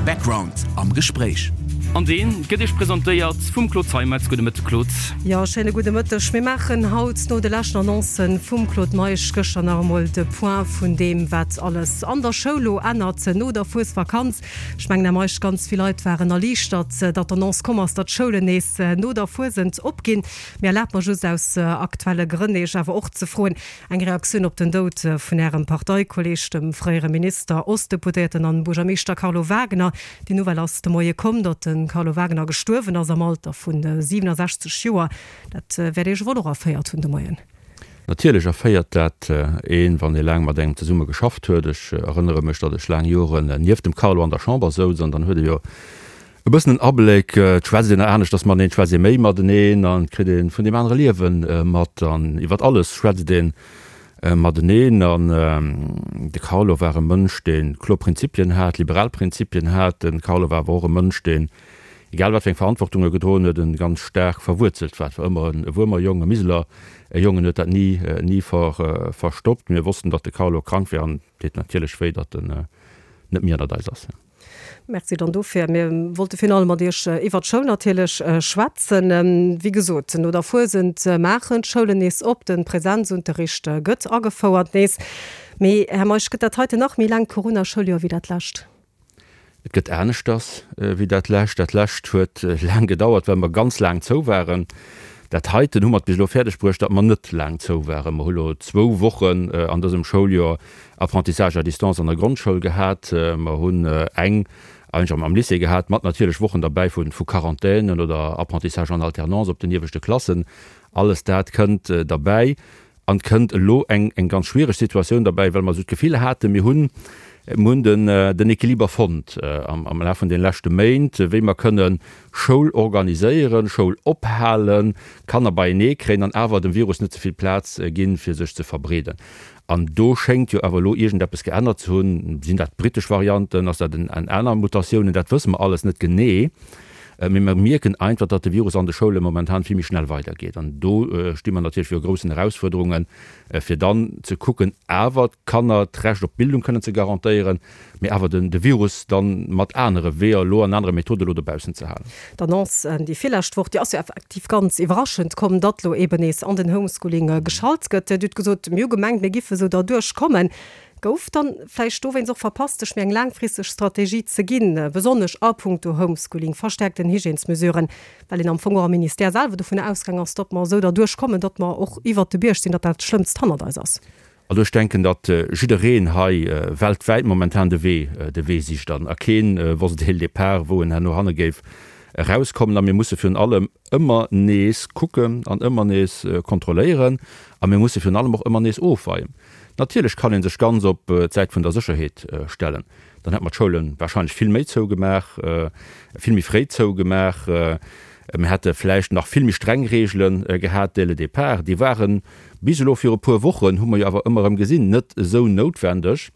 Background am Gespréich. An dee gëtt Iech presentéiert vum Claude Zeimetz. Gudde Mëtteg, Claude. Jo, schéine gudde Mëtteg. Mir maachen haut no de leschten Annoncen vum Claude Meisch gëschter nach emol de Point vun deem, wat alles an der Schoul lo ännert no der Fuesvakanz. Ech mengen, Här Meisch, ganz vill Leit waren erliichtert, datt d'Annonce komm ass, datt d'Schoulen nees no der Fuesent opginn. Mee erlaabt mer just aus aktuelle Grënn, Iech awer och ze froen, Eng Reaktioun op den Doud vun Ärem Parteikolleeg, dem fréiere Minister, Ostdeputéierten an Buergermeeschter Carlo Wagner. Déi Nouvelle ass de Moie komm, datt de Carlo Wagner gestuerwen ass am Alter vu 67 Joer. Dat wäert Iech wuel och erféiert hunn de Moien. Natierlech erféiert dat een, wann ee laang mat engem zesumme geschafft huet. Ech erënnere mech, datt ech laang Joren nieft dem Carlo an der Chamber souz an dann huet e jo E bëssen en Abléck, et schwätzt een aneschters mateneen, et schwätzt ee méi mateneen an et kritt ee vun deem anere Liewe mat an iwwert alles schwätzt ee mateneen. An de Carlo war e Mënsch, dee kloer Prinzipien hat, liberal Prinzipien hat. De Carlo war awer och e Mënsch, deen, egal wat fir eng Verantwortung e gedroen huet, e ganz staark verwuerzelt war. Et war ëmmer e Wuermer Jong, e Miseler Jong, en huet dat ni, ni verstoppt. Mir wossten, datt de Carlo krank war an et deet natierlech wéi, datt en net méi ënnert eis ass. Merci dann dofir. Mir wollte virun allem mat Iech iwwert d'Schoul natierlech schwätzen. Wéi gesot, no der Fuesent maachen d'Schoulen nees op, de Präsenzunterricht gëtt agefouert nees. Mee, Här Meisch, gëtt dat heiten nach méi laangt Corona-Schouljoer wéi dat lescht? Et gëtt aneschters wéi dat lescht. Dat lescht huet laang gedauert, well mer ganz laang zou waren. Dat heiten hu mer et bis elo fäerdeg bruecht, datt mer net laang zou waren. Mer hu lo zwou Wochen an dësem Schouljoer Apprentissage à distance an der Grondschoul gehat. Mer hunn eng eigentlech am Lycée gehat, mat natierlech Wochen derbäi vu Quarantänen oder Apprentissage en alternance op den ieweschte Klassen. Alles dat kënnt derbäi. An et kënnt elo eng ganz schwiereg Situatioun derbäi, well mer esou d'Gefill haten, mir hunn mir hunn den Equiliber fonnt am Laf vun de leschte Méint, wéi mer kënne Schoul organiséieren, Schoul ophalen, Kanner beienee kréien an awer dem Virus net ze vill Plaz ginn, fir sech ze verbreeden. An do schéngt jo awer elo iergendeppes geännert ze hunn. Sinn dat d'brittesch Varianten, ass dat en aner Mutatiounen? Dat wësse mer alles net genee. Mee mer mierken einfach, datt de Virus an de Schoule momentan vill méi schnell weidergeet. An do sti mer natierlech viru groussen Erausfuerderungen, fir dann ze kucken, awer d'Kanner d'Recht op Bildung kënnen ze garantéieren, mee awer de Virus dann mat anere Weeër elo an anere Methode elo dobaussen ze halen. D'Annonce déi virlescht Woch, déi ass jo effektiv ganz iwwerraschend komm, datt elo eeben nees an den Homeschooling geschalt gëtt. Dir hutt gesot, mir hu gemengt, mir giffe sou derduerch kommen. Gouf dann vläicht dowéinst och verpasst, sech méi eng laangfristeg Strategie ze ginn, besonnesch a puncto Homeschooling, verstärkten Hygiènesmesuren, well een am Fong och am Ministère selwer dovun ausgaang ass, datt mer esou derduerch kommen, datt mer och iwwert de Bierg sinn, datt dat Schlëmmst hannert eis ass? Also ech denken, datt jiddereen hei weltwäit momentan de Wee, de Wee sicht an a kee wosst dès le départ, wou en herno hanne géif erauskommen. A mir musse virun allem ëmmer nees kucken an ëmmer nees kontrolléieren a mir musse virun allem och ëmmer nees ofweien. Natierlech kann ee sech ganz op d'Säit vun der Sécherheet stellen. Dann hätte mer d'Schoule warscheinlech vill méi zougemaach, vill méi fréi zougemaach. Mir hätte vläicht nach vill méi streng Reegele gehat dès le départ. Déi ware bis elo viru puer Wochen, hu mer jo awer ëmmer erëm gesinn, net esou noutwendeg.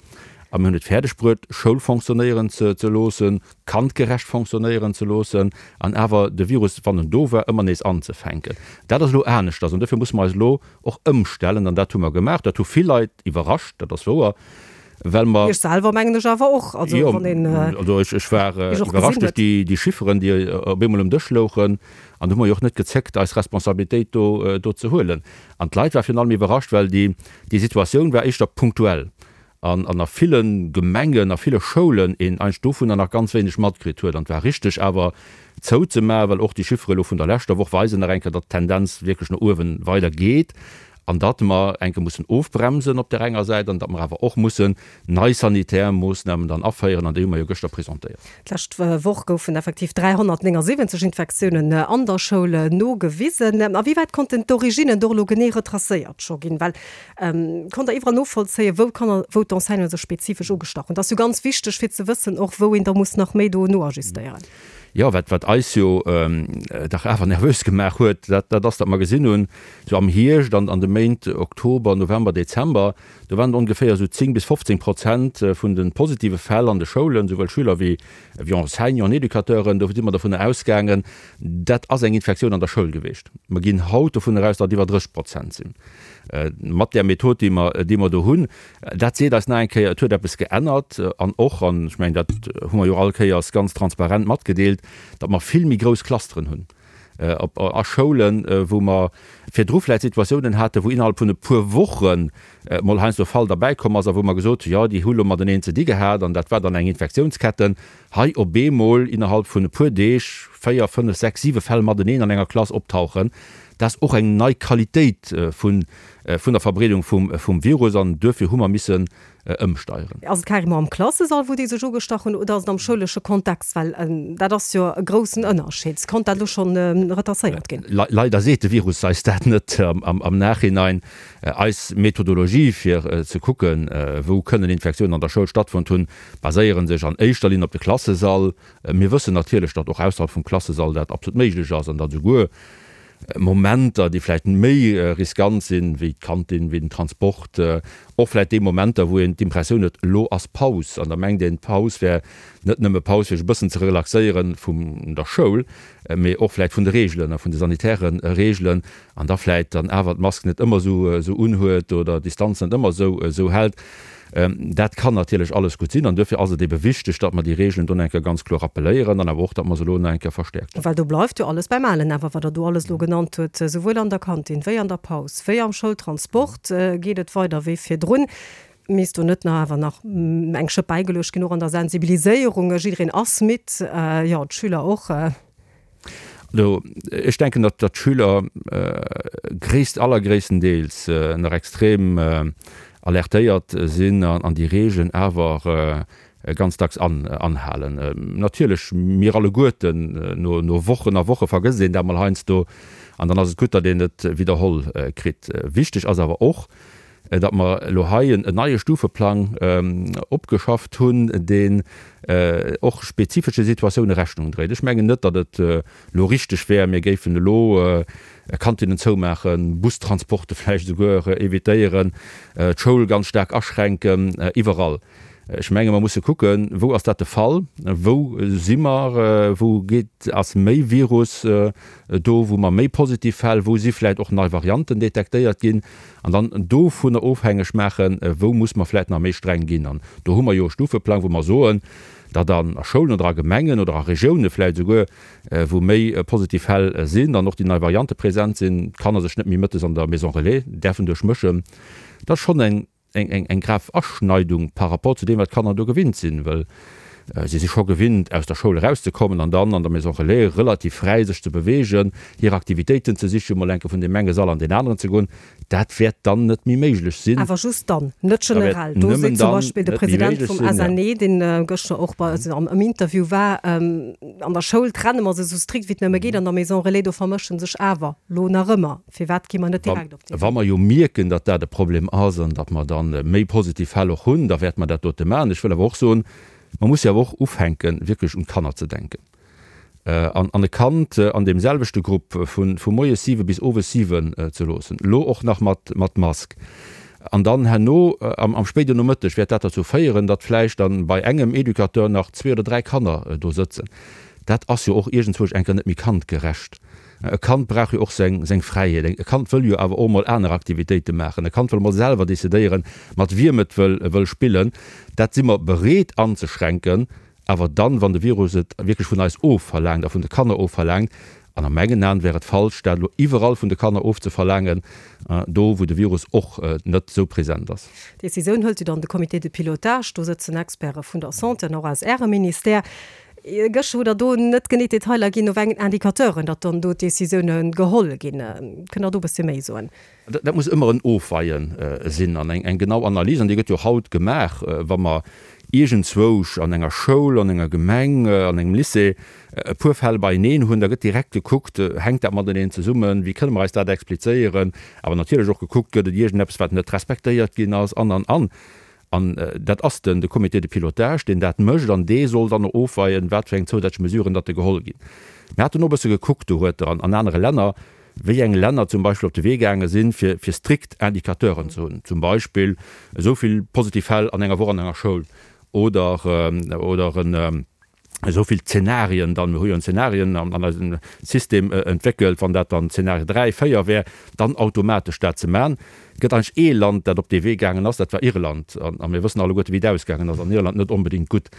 A mir hunn et fäerdeg bruet, Schoul fonctionnéieren ze loossen, kandgerecht fonctionnéieren ze loossen an awer de Virus, wann en do war, ëmmer nees anzefänken. Dat ass elo aneschters an dofir musse mer eis elo och ëmstellen an dat hu mer gemaach. Dat hu vill Leit iwwerrascht, dat ass wouer. Well mer. Iech selwer mengen ech awer och. Also wann een. Jo, also ech, ech war iwwerrascht duerch déi, déi Chifferen, déi op eemol um Dësch louchen. An do hu mer jo och net gezéckt, eis Responsabilitéit do, do ze huelen. An d'Leit war virun allem iwwerrascht, well déi, déi Situatioun war éischter punktuell. An, an a ville Gemengen, a ville Schoulen een eigentlech dovunner nach ganz wéineg matkritt huet. An et war richteg awer zouzemaachen, well och déi Chiffere elo vun der leschter Woch weisen nach eng Kéier, datt d'Tendenz wierklech no uewe weider geet. An datt mer enke mussen ofbremsen op där enger Säit an datt mer awer och mussen nei sanitär Moossnamen dann aféieren, an déi hu mer jo gëschter presentéiert. D'lescht Woch goufen effektiv 379 Infektiounen an der Schoul nogewisen. A wéi wäit konnten d'Originnen do elo genee retracéiert scho ginn? Well konnt Der iwwerall novollzéien, wou d'Kanner, wou d'Enseignanten sech spezifesch ugestach hunn? Dat ass jo ganz wichteg, fir ze wëssen och, wou een da muss nach méi do noajustéieren. Jo, wat, wat eis jo dach awer nervös gemaach huet, dat, dat ass, datt mer gesinn hunn, sou am Hierscht an an de Méint Oktober, November, Dezember, do waren et ongeféier esou 10 bis 15 Prozent vun de positive Fäll an de Schoulen, souwuel Schüler wéi, wéi Enseignanten, Educateuren. Do si mer dovunner ausgaangen, dat ass eng Infektioun an der Schoul geweecht. Mer ginn haut dovunner aus, datt et iwwer 30 Prozent sinn, mat där Method, déi mer, déi mer do hunn. Dat seet eis nach eng Kéier, et huet eppes geännert. An och, an ech mengen, dat hu mer jo all Kéiers ganz transparent matgedeelt, datt mer vill méi grouss Clusteren hunn op a Schoulen, wou mer virdru vläicht Situatiounen haten, wou innerhalb vun e puer Woche mol heiansdo e Fall derbäikomm ass a wou mer gesot hunn, jo, déi hu lo mateneen ze di gehat an dat war dann eng Infektiounsketten. Hei op eemol innerhalb vun e puer Deeg 4, 5, 6, 7 Fäll mateneen an enger Klass optauchen, dat ass och eng nei Qualitéit vun vun der Verbreedung vum Virus an duerfir hu mer missen ëmsteieren. Ass et carrément am Klassesall, wou déi sech ugestach hunn, oder ass et am schoulesche Kontext? Well dat ass jo e groussen Ënnerscheed. Konnt dat elo schonn retracéiert ginn? Leider seet de Virus eis dat net am Nachhinein. Eis Methodologie fir ze kucken, wou kënnen Infektiounen an der Schoul stattfonnt hunn, baséiere sech an éischter Linn op de Klassesall. Mir wëssen natierlech, datt och ausserhalb vum Klassesall dat absolut méiglech ass an datt esouguer Momenter, déi vläicht méi riskant sinn, wéi d'Kantin, wéi den Transport, och vläicht déi Momenter, wou een d'Impressioun huet, elo ass Paus, an da mengt een, d'Paus wär net nëmme Paus, fir sech e bëssen ze relaxéiere vun der Schoul, mee och vläicht vun de Reegelen a vun de sanitäre Reegelen, an da vläicht dann awer d'Mask net ëmmer esou unhuet oder d'Distanz net ëmmer esou hält. Dat kann natierlech alles gutt sinn an duerfir ass et ebe wichteg, datt mer déi Regeln do nach eng Kéier ganz kloer rappelléieren an awer och, datt mer se elo nach eng Kéier verstärkt. Well do bleift jo alles beim Alen. Awer wat Der do alles elo genannt hutt, souwuel an der Kantin wéi an der Paus wéi am Schoultransport, geet et weider wéi virdrun. Misst do net nach awer nach eng Schëpp bäigeluecht ginn, och an der Sensibiliséierung? Jiddereen ass midd, jo, d'Schüler och. Also ech denken, datt d'Schüler gréisst, allergréisstendeels nach extrem alertéiert sinn an déi Regeln awer ganz dacks anhalen. Natierlech, mir alleguerten, no Wochen a Woche vergësst een dat mol heiansdo an dann ass et gutt, datt een et widderholl kritt. Wichteg ass awer och, datt mer elo hei en neie Stufeplang opgeschafft hunn, deen och spezifesche Situatioune Rechnung dréit. Ech mengen net, datt et elo richteg wär, mir géifen elo Kantinnen zoumaachen, Bustransporte vläicht esouguer evitéieren, d'Schoul ganz staark aschränken, iwwerall. Ech menge mer musse kucken, wou ass dat de Fall, wou si mer, wou geet, ass méi Virus do, wou mer méi positiv Fäll, wou si vläicht och nei Varianten detektéiert ginn, an dann dovunner ofhängeg maachen, wou muss mer vläicht nach méi streng ginn. An do hu mer jo e Stufeplang, wou mer soen, datt a Schoulen oder a Gemengen oder a Regioune vläicht esouguer, wou méi positiv Fäll sinn an och déi nei Variante present sinn, d'Kanner sech net méi mëttes an der Maison relais däerfen duerchmëschen. Dat ass schonn eng eng grav Aschneidung par rapport zu deem, wat d'Kanner do gewinnt sinn, well si si scho gewinnt, aus der Schoul erauszekommen an dann an der Maison relais relativ fräi sech ze beweegen, hir Aktivitéiten ze sichen, mol enke vun deem enge Sall an deen aneren ze goen. Dat wäert dann net méi méiglech sinn. Awer just dann, net generell. Do seet zum Beispill de President vum SNE, deen gëschter och bei eis am Interview war, An der Schoul trenne mer se esou strikt wéi et nëmme geet, an der Maison relais, do vermësche sech awer lo nach ëmmer. Firwat gi mer net direkt op dee Wee? Wa mer jo mierken, datt dat e Problem ass an datt mer da méi positiv Fäll och hunn, da wäerte mer dat dote maachen. Ech wëll awer och soen, mer musse jo awer och ufänken, wierklech un d'Kanner ze denken. An e Kand an deem selwechte Grupp vu moies siwe bis owes siwen ze loossen, elo och nach mat Mask, an dann herno am spéiden Nomëtteg wäert dat derzou féieren, datt vläicht dann bei engem Educateur nach zwee oder dräi Kanner do sëtzen. Dat ass jo och iergendzwousch eng Kéier net méi kandgerecht. E Kand brauch jo och seng seng Fräiheet. E Kand wëll jo awer och mol aner Aktivitéite maachen. E Kand wëll mol selwer decidéieren, mat wiem et wëll wëll spillen. Dat si mer bereet anzeschränken, awer dann, wann de Virus et wierklech vun eis ofverlaangt a vun de Kanner ofverlaangt. An a mengen Aen wär et falsch, dat elo iwwerall vun de Kanner ofzeverlaangen, do wou de Virus och net esou present ass. D'Decisioun hëlt jo dann de Comité de pilotage. Do sëtzen Experte vun der Santé an och aus Ärem Ministère. Gëschter hutt Der do net genee d'Detailer ginn, no wéi engen Indicateuren datt dann do d'Decisioune geholl ginn. Kënnt Der do e bëssche méi soen? Dat muss ëmmer en Ofweie sinn an eng genau Analys, an déi gëtt jo och haut gemaach, wa mer iergendzwousch an enger Schoul, an enger Gemeng, an engem Lycée e puer Fäll beieneen hunn, da gëtt direkt gekuckt, hänkt dat mateneen zesummen, wéi kënne mer eis dat explizéieren, awer natierlech och gekuckt, gëtt et iergendeppes, wat net respektéiert ginn ass, an, an, an. An dat ass den de Comité de pilotage, deen dat mécht, an dee soll dann och ofweien, wat fir eng zousätzlech Mesuren datt geholl ginn. Mir haten och e bësse gekuckt dohueter an anere Länner, wéi eng Länner zum Beispill op de Wee gaange sinn, fir fir strikt Indicateuren ze hunn, zum Beispill esou vill positiv Fäll an enger Woch an enger Schoul oder oder en esou vill Zenarien dann, mir hu jo en Zenarien an eisem System entwéckelt, wann dat dann Zenarie 3, 4 wär, dann automatesch dat ze man. Et gëtt eigentlech ee Land, dat op dee Wee gaangen ass, dat war Irland. A mir wëssen alleguerte wéi et ausgaangen ass an Irland, net onbedéngt gutt.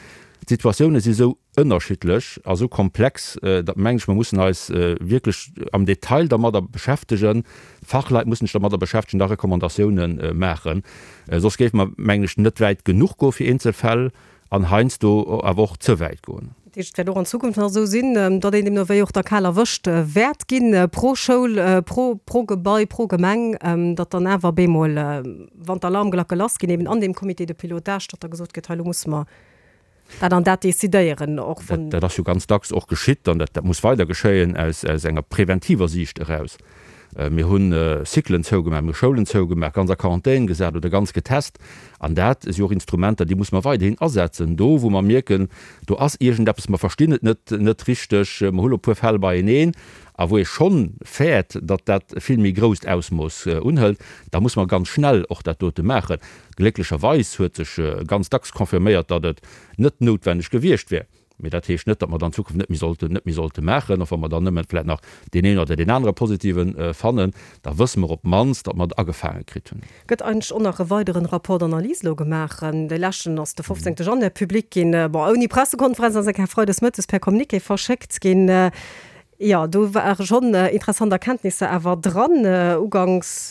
D'Situatioune si sou ënnerschiddlech a sou komplex, datt mengen ech, mer mussen eis wierklech am Detail dermadder beschäftegen, d'Fachleit mussen sech dermadder beschäftegen, da Recommandatioune maachen. Soss géife mer, mengen ech, net wäit genuch goe fir eenzel Fäll an heiansdo awer och ze wäit goen. Dat heescht, et wäert och an Zukunft nach esou sinn, datt een deemno wéi och da kal erwëscht wäert ginn, pro Schoul, pro, pro Gebai, pro Gemeng, datt dann awer bemol, wann d'Alarmglacke lassginn, eben an deem Comité de pilotage, datt da gesot gëtt, hei elo musse mer dat an dat decidéieren, och wann. Dat ass jo ganz dacks och geschitt an dat muss weider geschéien aus enger preventiver Siicht eraus. Mir hu Cyclen zougemaach, mir hu Schoulen zougemaach, ganz a Quarantän gesat oder ganz getest. An dat si och Instrumenter, déi muss mer weiderhin asetzen. Do, wou mer mierken, do ass iergendeppes, mer verstinn et net net richteg, mer hu lo e puer Fäll beieneen, a wou ee schonn fäert, datt dat e vill méi grousst Ausmooss unhëlt, da muss mer ganz schnell och dat dote maachen. Glécklecherweis huet sech ganz dacks confirméiert, datt et net noutwenneg gewiescht wär. Mee dat heescht net, datt mer et an Zukunft net méi sollten, net méi sollte maachen. Och wa mer dann nëmme vläicht nach deen een oder deen anere Positiven fannen, da wësse mer op d'mannst, datt mer et agefaange kritt hunn. Gëtt eigentlech och nach e weideren Rapport d'analyse elo gemaach? Dee leschten ass de 15 Januar public ginn, bon, ouni Pressekonferenz, ass eng Kéier freides mëttes per Communiqué verschéckt ginn. Jo, do ware schonn interessant Erkenntnisser awer dran. Uganks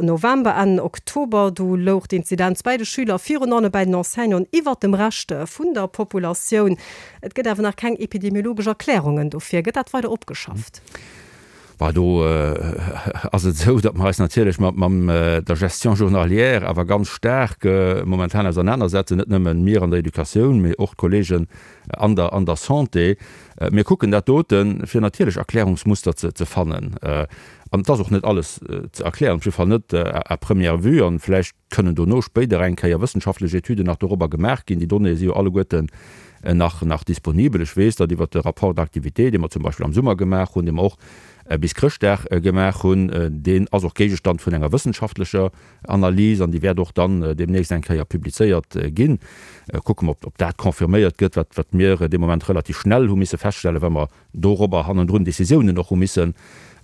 November, Enn Oktober, du louch d'Inzidenz bäi de Schüler, virun allem bäi den Enseignanten, iwwert dem Rescht vun der Populatioun. Et gëtt awer nach keng epidemiologesch Erklärungen dofir. Gëtt dat weider opgeschafft? Bah, do ass et esou, datt mer eis natierlech mat der Gestion journalière awer ganz staark momentan ausernanersetzen, net nëmmen mir an der Educatioun, mee och d'Kollegen an der, an der Santé. Mir kucken dat doten, fir natierlech Erklärungsmuster ze, ze fannen. An et ass och net alles ze erklären, op jidde Fall net à première vue. An vläicht kënnen dono spéider eng Kéier wëssenschaftlech Etüden nach dorobber gemaach ginn. Déi Donnéeë si jo alleguerten nach, nach disponibel. Ech weess, datt iwwert de Rapport d'activité, dee mer zum Beispill am Summer gemaach hunn, dee mer och bis Chrëschtdag gemaach hunn, deen ass och Géigestand vun enger wëssenschaftlecher Analys an déi wäert och dann deemnächst eng Kéier publizéiert ginn. Kucke mer, ob dat confirméiert gëtt, wat wat mir dee Moment relativ schnell hu misse feststellen, well mer dorobber hannendrun Décisiounen och hu missen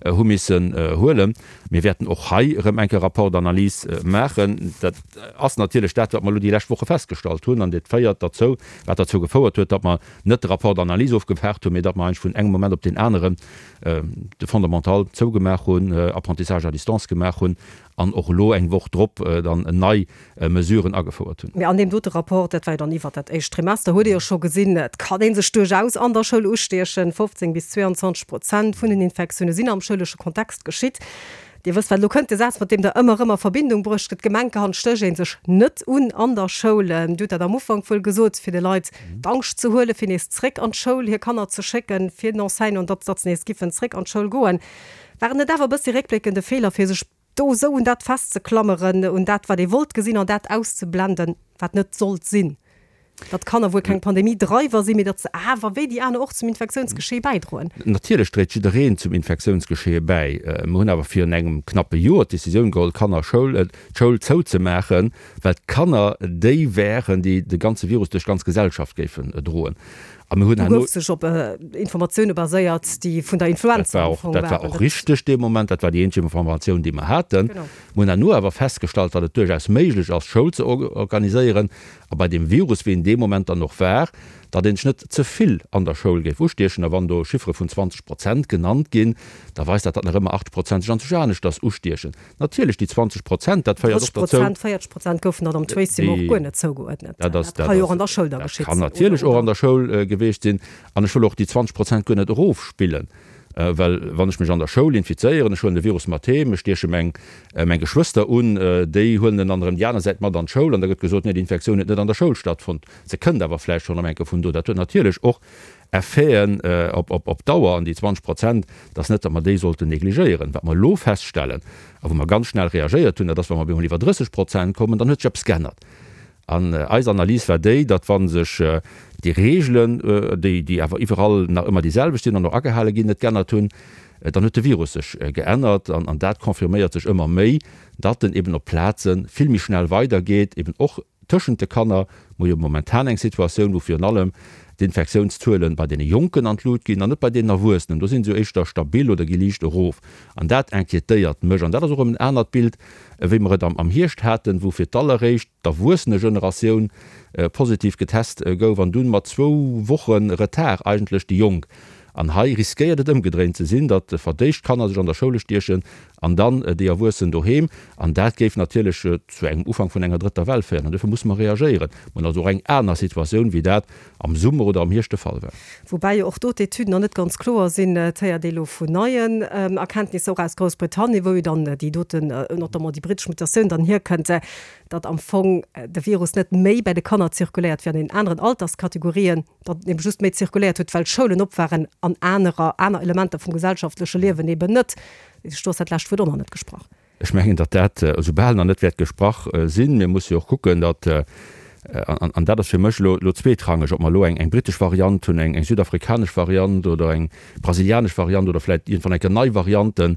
hu missen huelen. Mir wäerten och hei erëm eng Kéier Rapport d'analyse maachen. Dat ass natierlech dat, wat mer elo déi lescht Woche festgestallt hunn an dat féiert derzou, wat derzou gefouert huet, datt mer net de Rapport d'analyse ofgewaart hunn, mee datt mer eigentlech vun engem Moment op deen aneren de Fondamental zougemaach hunn, Apprentissage à distance gemaach hunn an och elo eng Woch drop dann nei Mesuren agefouert hunn. Mee an deem dote Rapport, dat war jo dann iwwert dat éischt Trimester, huet ee jo scho gesinn, et kann ee sech duerchaus an der Schoul ustiechen. 15 bis 22 Prozent vun den Infektioune sinn am schoulesche Kontext geschitt. Dir wësst, wat elo kënnt, de Saz, mat deem Der ëmmer erëm a Verbindung bruecht gëtt, Gemenkehand stécht ee sech net un an der Schoul. Dir hutt dat am Ufank wuel gesot, fir de Leit d'Angscht ze huelen, fir nees zréck an d'Schoul hir Kanner ze schécken, fir den Enseignanten, datt datt se nees giffen zréck an d'Schoul goen. War et net awer e bëssi réckbléckend e Feeler, fir sech do esou un dat festzeklammeren, un dat, wat ee wollt gesinn, an dat auszeblenden, wat net sollt sinn? Datt d'Kanner wuel keng Pandemie-Dreiwer sinn, mee datt se awer, wéi déi aner och, zum Infektiounsgeschee bäidroen. Natierlech dréit jiddereen zum Infektiounsgeschee bäi. Mir hunn awer virun engem knappe Joer d'Decisioun geholl, d'Kanner Schoul, d'Schoul zouzemaachen, well d'Kanner déi wären, déi de ganze Virus duerch d'ganz Gesellschaft géifen droen. A mir hunn herno. Du gouf sech op Informatioune baséiert, déi vun der Influenza am Fong waren. Dat war och richteg dee Moment. Dat war déi eenzeg Informatioun, déi mer haten. Mir hunn herno awer festgestallt, datt et duerchaus méiglech ass, Schoul ze organiséieren. A bei deem Virus, wéi en dee Moment dann och war, datt een sech net ze vill an der Schoul géif ustiechen. A wann do Chiffere vun 20 Prozent genannt ginn, da weist dat, datt nach ëmmer 80 Prozent sech anzwousch aneschters ustiechen. Natierlech, déi 20 Prozent, dat féiert och dozou. 30 Prozent, 40 Prozent goufen dann am Tracing och guer net zougeuerdnet. Dat ka jo och an der Schoul da geschitt sinn. Dat kann natierlech och an der Schoul geweecht sinn. An ech wëll och déi 20 Prozent guer net erofspillen, well wann ech mech an der Schoul infizéieren, ech huelen de Virus mat heem, ech stieche meng meng Geschwëster un, déi huelen en dann erëm déi aner Säit mat an d'Schoul an da gëtt gesot, nee, déi Infektioun huet net an der Schoul stattfonnt, se kënnt awer vläicht schonn erëm eng Kéier vun do. Dat huet natierlech och Effeten op Dauer, an déi 20 Prozent, dat ass net, datt mer déi sollten negligéieren. Wat mer elo feststellen a wou mer ganz schnell reagéiert hunn, dat ass, wa mer op eemol iwwer 30 Prozent kommen, dann huet sech eppes geännert. An eis Analys war déi, datt wa sech déi Reegelen, déi déi awer iwwerall nach ëmmer déi selwecht sinn an och agehale ginn, net geännert hunn, dann huet de Virus sech geännert. An dat confirméiert sech ëmmer méi, datt en eben op Plaze vill méi schnell weidergeet, eben och tëschent de Kanner. Mer hu jo momentan eng Situatioun, wou virun allem d'Infektiounszuele bei deene Jonken an d'Lut ginn an net bei deenen Erwuessenen. Do si se jo éischter stabil oder gi liicht erof. An dat inquiétéiert mech. An dat ass och erëm en anert Bild, wéi mer et am Hierscht haten, wou fir d'alleréischt d'Erwuessenegeneratioun positiv getest gouf an dunn mat zwou Woche Retard eigentlech déi Jonk. An hei riskéiert et ëmgedréint ze sinn, datt verdéischt Kanner sech an der Schoul ustiechen an dann déi Erwuessen doheem. An dat géif natierlech zu engem Ufank vun enger drëtter Well féieren. An duerfir musse mer reagéieren. Mer hunn also och eng aner Situatioun, wéi dat am Summer oder am Hierscht de Fall war. Woubäi jo och do d'Etüden nach net ganz kloer sinn. Et héiert ee elo vun neien Erkenntnisser, och aus Groussbritannien, wou jo dann déi doten, notamment déi brittesch Mutatioun dann hierkënnt, datt am Fong de Virus net méi bäi de Kanner zirkuléiert wéi an den aneren Alterskategorien, datt en ebe just méi zirkuléiert huet, well d'Schoulen op waren an anerer, aner Elementer vum gesellschaftleche Liewen eben net. Do ass dat lescht Wuert och nach net gesprach. Ech mengen, datt dat esoubal nach net wäert gesprach sinn. Mir musse jo och kucken, datt, an dat ass fir mech elo elo zweetrangeg, ob mer elo eng brittesch Variant hunn, eng südafrikanesch Variant oder eng brasilianesch Variant oder vläicht iergendwann eng Kéier nei Varianten.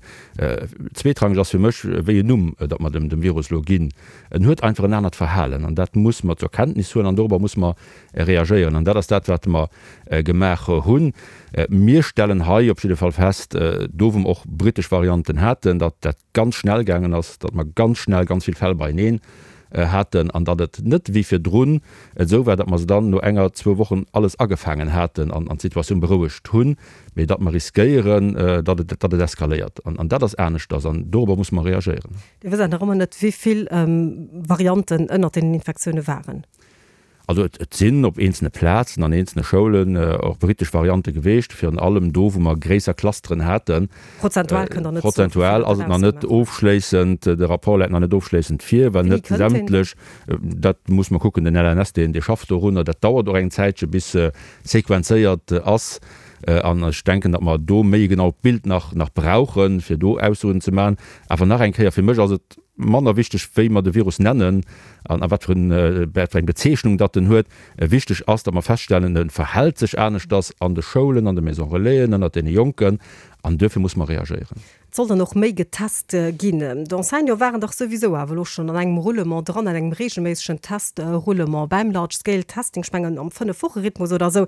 Zweetrangeg ass fir mech, wéi en Numm datt mer dem Virus elo ginn. En huet einfach en anert Verhalen an dat musse mer zur Kenntnis huelen an dorobber musse mer reagéieren. An dat ass dat, wat mer gemaach hunn. Mir stellen hei op jidde Fall fest, do wou mer och brittesch Varianten haten, datt dat ganz schnell gaangen ass, datt mer ganz schnell ganz vill Fäll beieneen haten an datt et net wéi virdrun esou war, datt mer se dann no enger, zwou Wochen alles agefaangen haten an d'Situatioun berouegt hunn, mee datt mer riskéieren, datt et, datt et eskaléiert. An dat ass aneschters an dorobber musse mer reagéieren. Dir wësst awer nach ëmmer net, wéi vill Varianten ënnert deenen Infektioune waren. Also et sinn op eenzelne Plazen, an eenzelne Schoulen och brittesch Variante geweecht, virun allem do, wou mer gréisser Clusteren haten. Prozentual kënnt Der net soen, wéi vill Prozentual ass et nach net ofschléissend, de Rapport läit nach net ofschléissend vir, well net sämtlech, dat muss mer kucken, den LNS, deen schafft dorunner, dat dauert och eng Zäitche bis sequenzéiert ass. An ech denken, datt mer do méi e genaut Bild nach brauchen, fir do Aussoen ze maachen. Awer nach eng Kéier, fir mech ass et Manner wichteg, wéi mer de Virus nennen an a wat fir eng Bezeechnung datt en huet. Wichteg ass, datt mer feststellen, e verhält sech aneschters an de Schoulen, an de Maisons Relaisen, ënnert deene Jonken an duerfir muss mer reagéieren. Et soll dann och méi getest ginn. D'Enseignante waren dach souwisou awer elo schonn an engem Roulement dran, an engem reegelméissegen Test-Roulement beim Large Scale Testing, ech mengen am Fënnef-Woche-Rhythmus oder esou.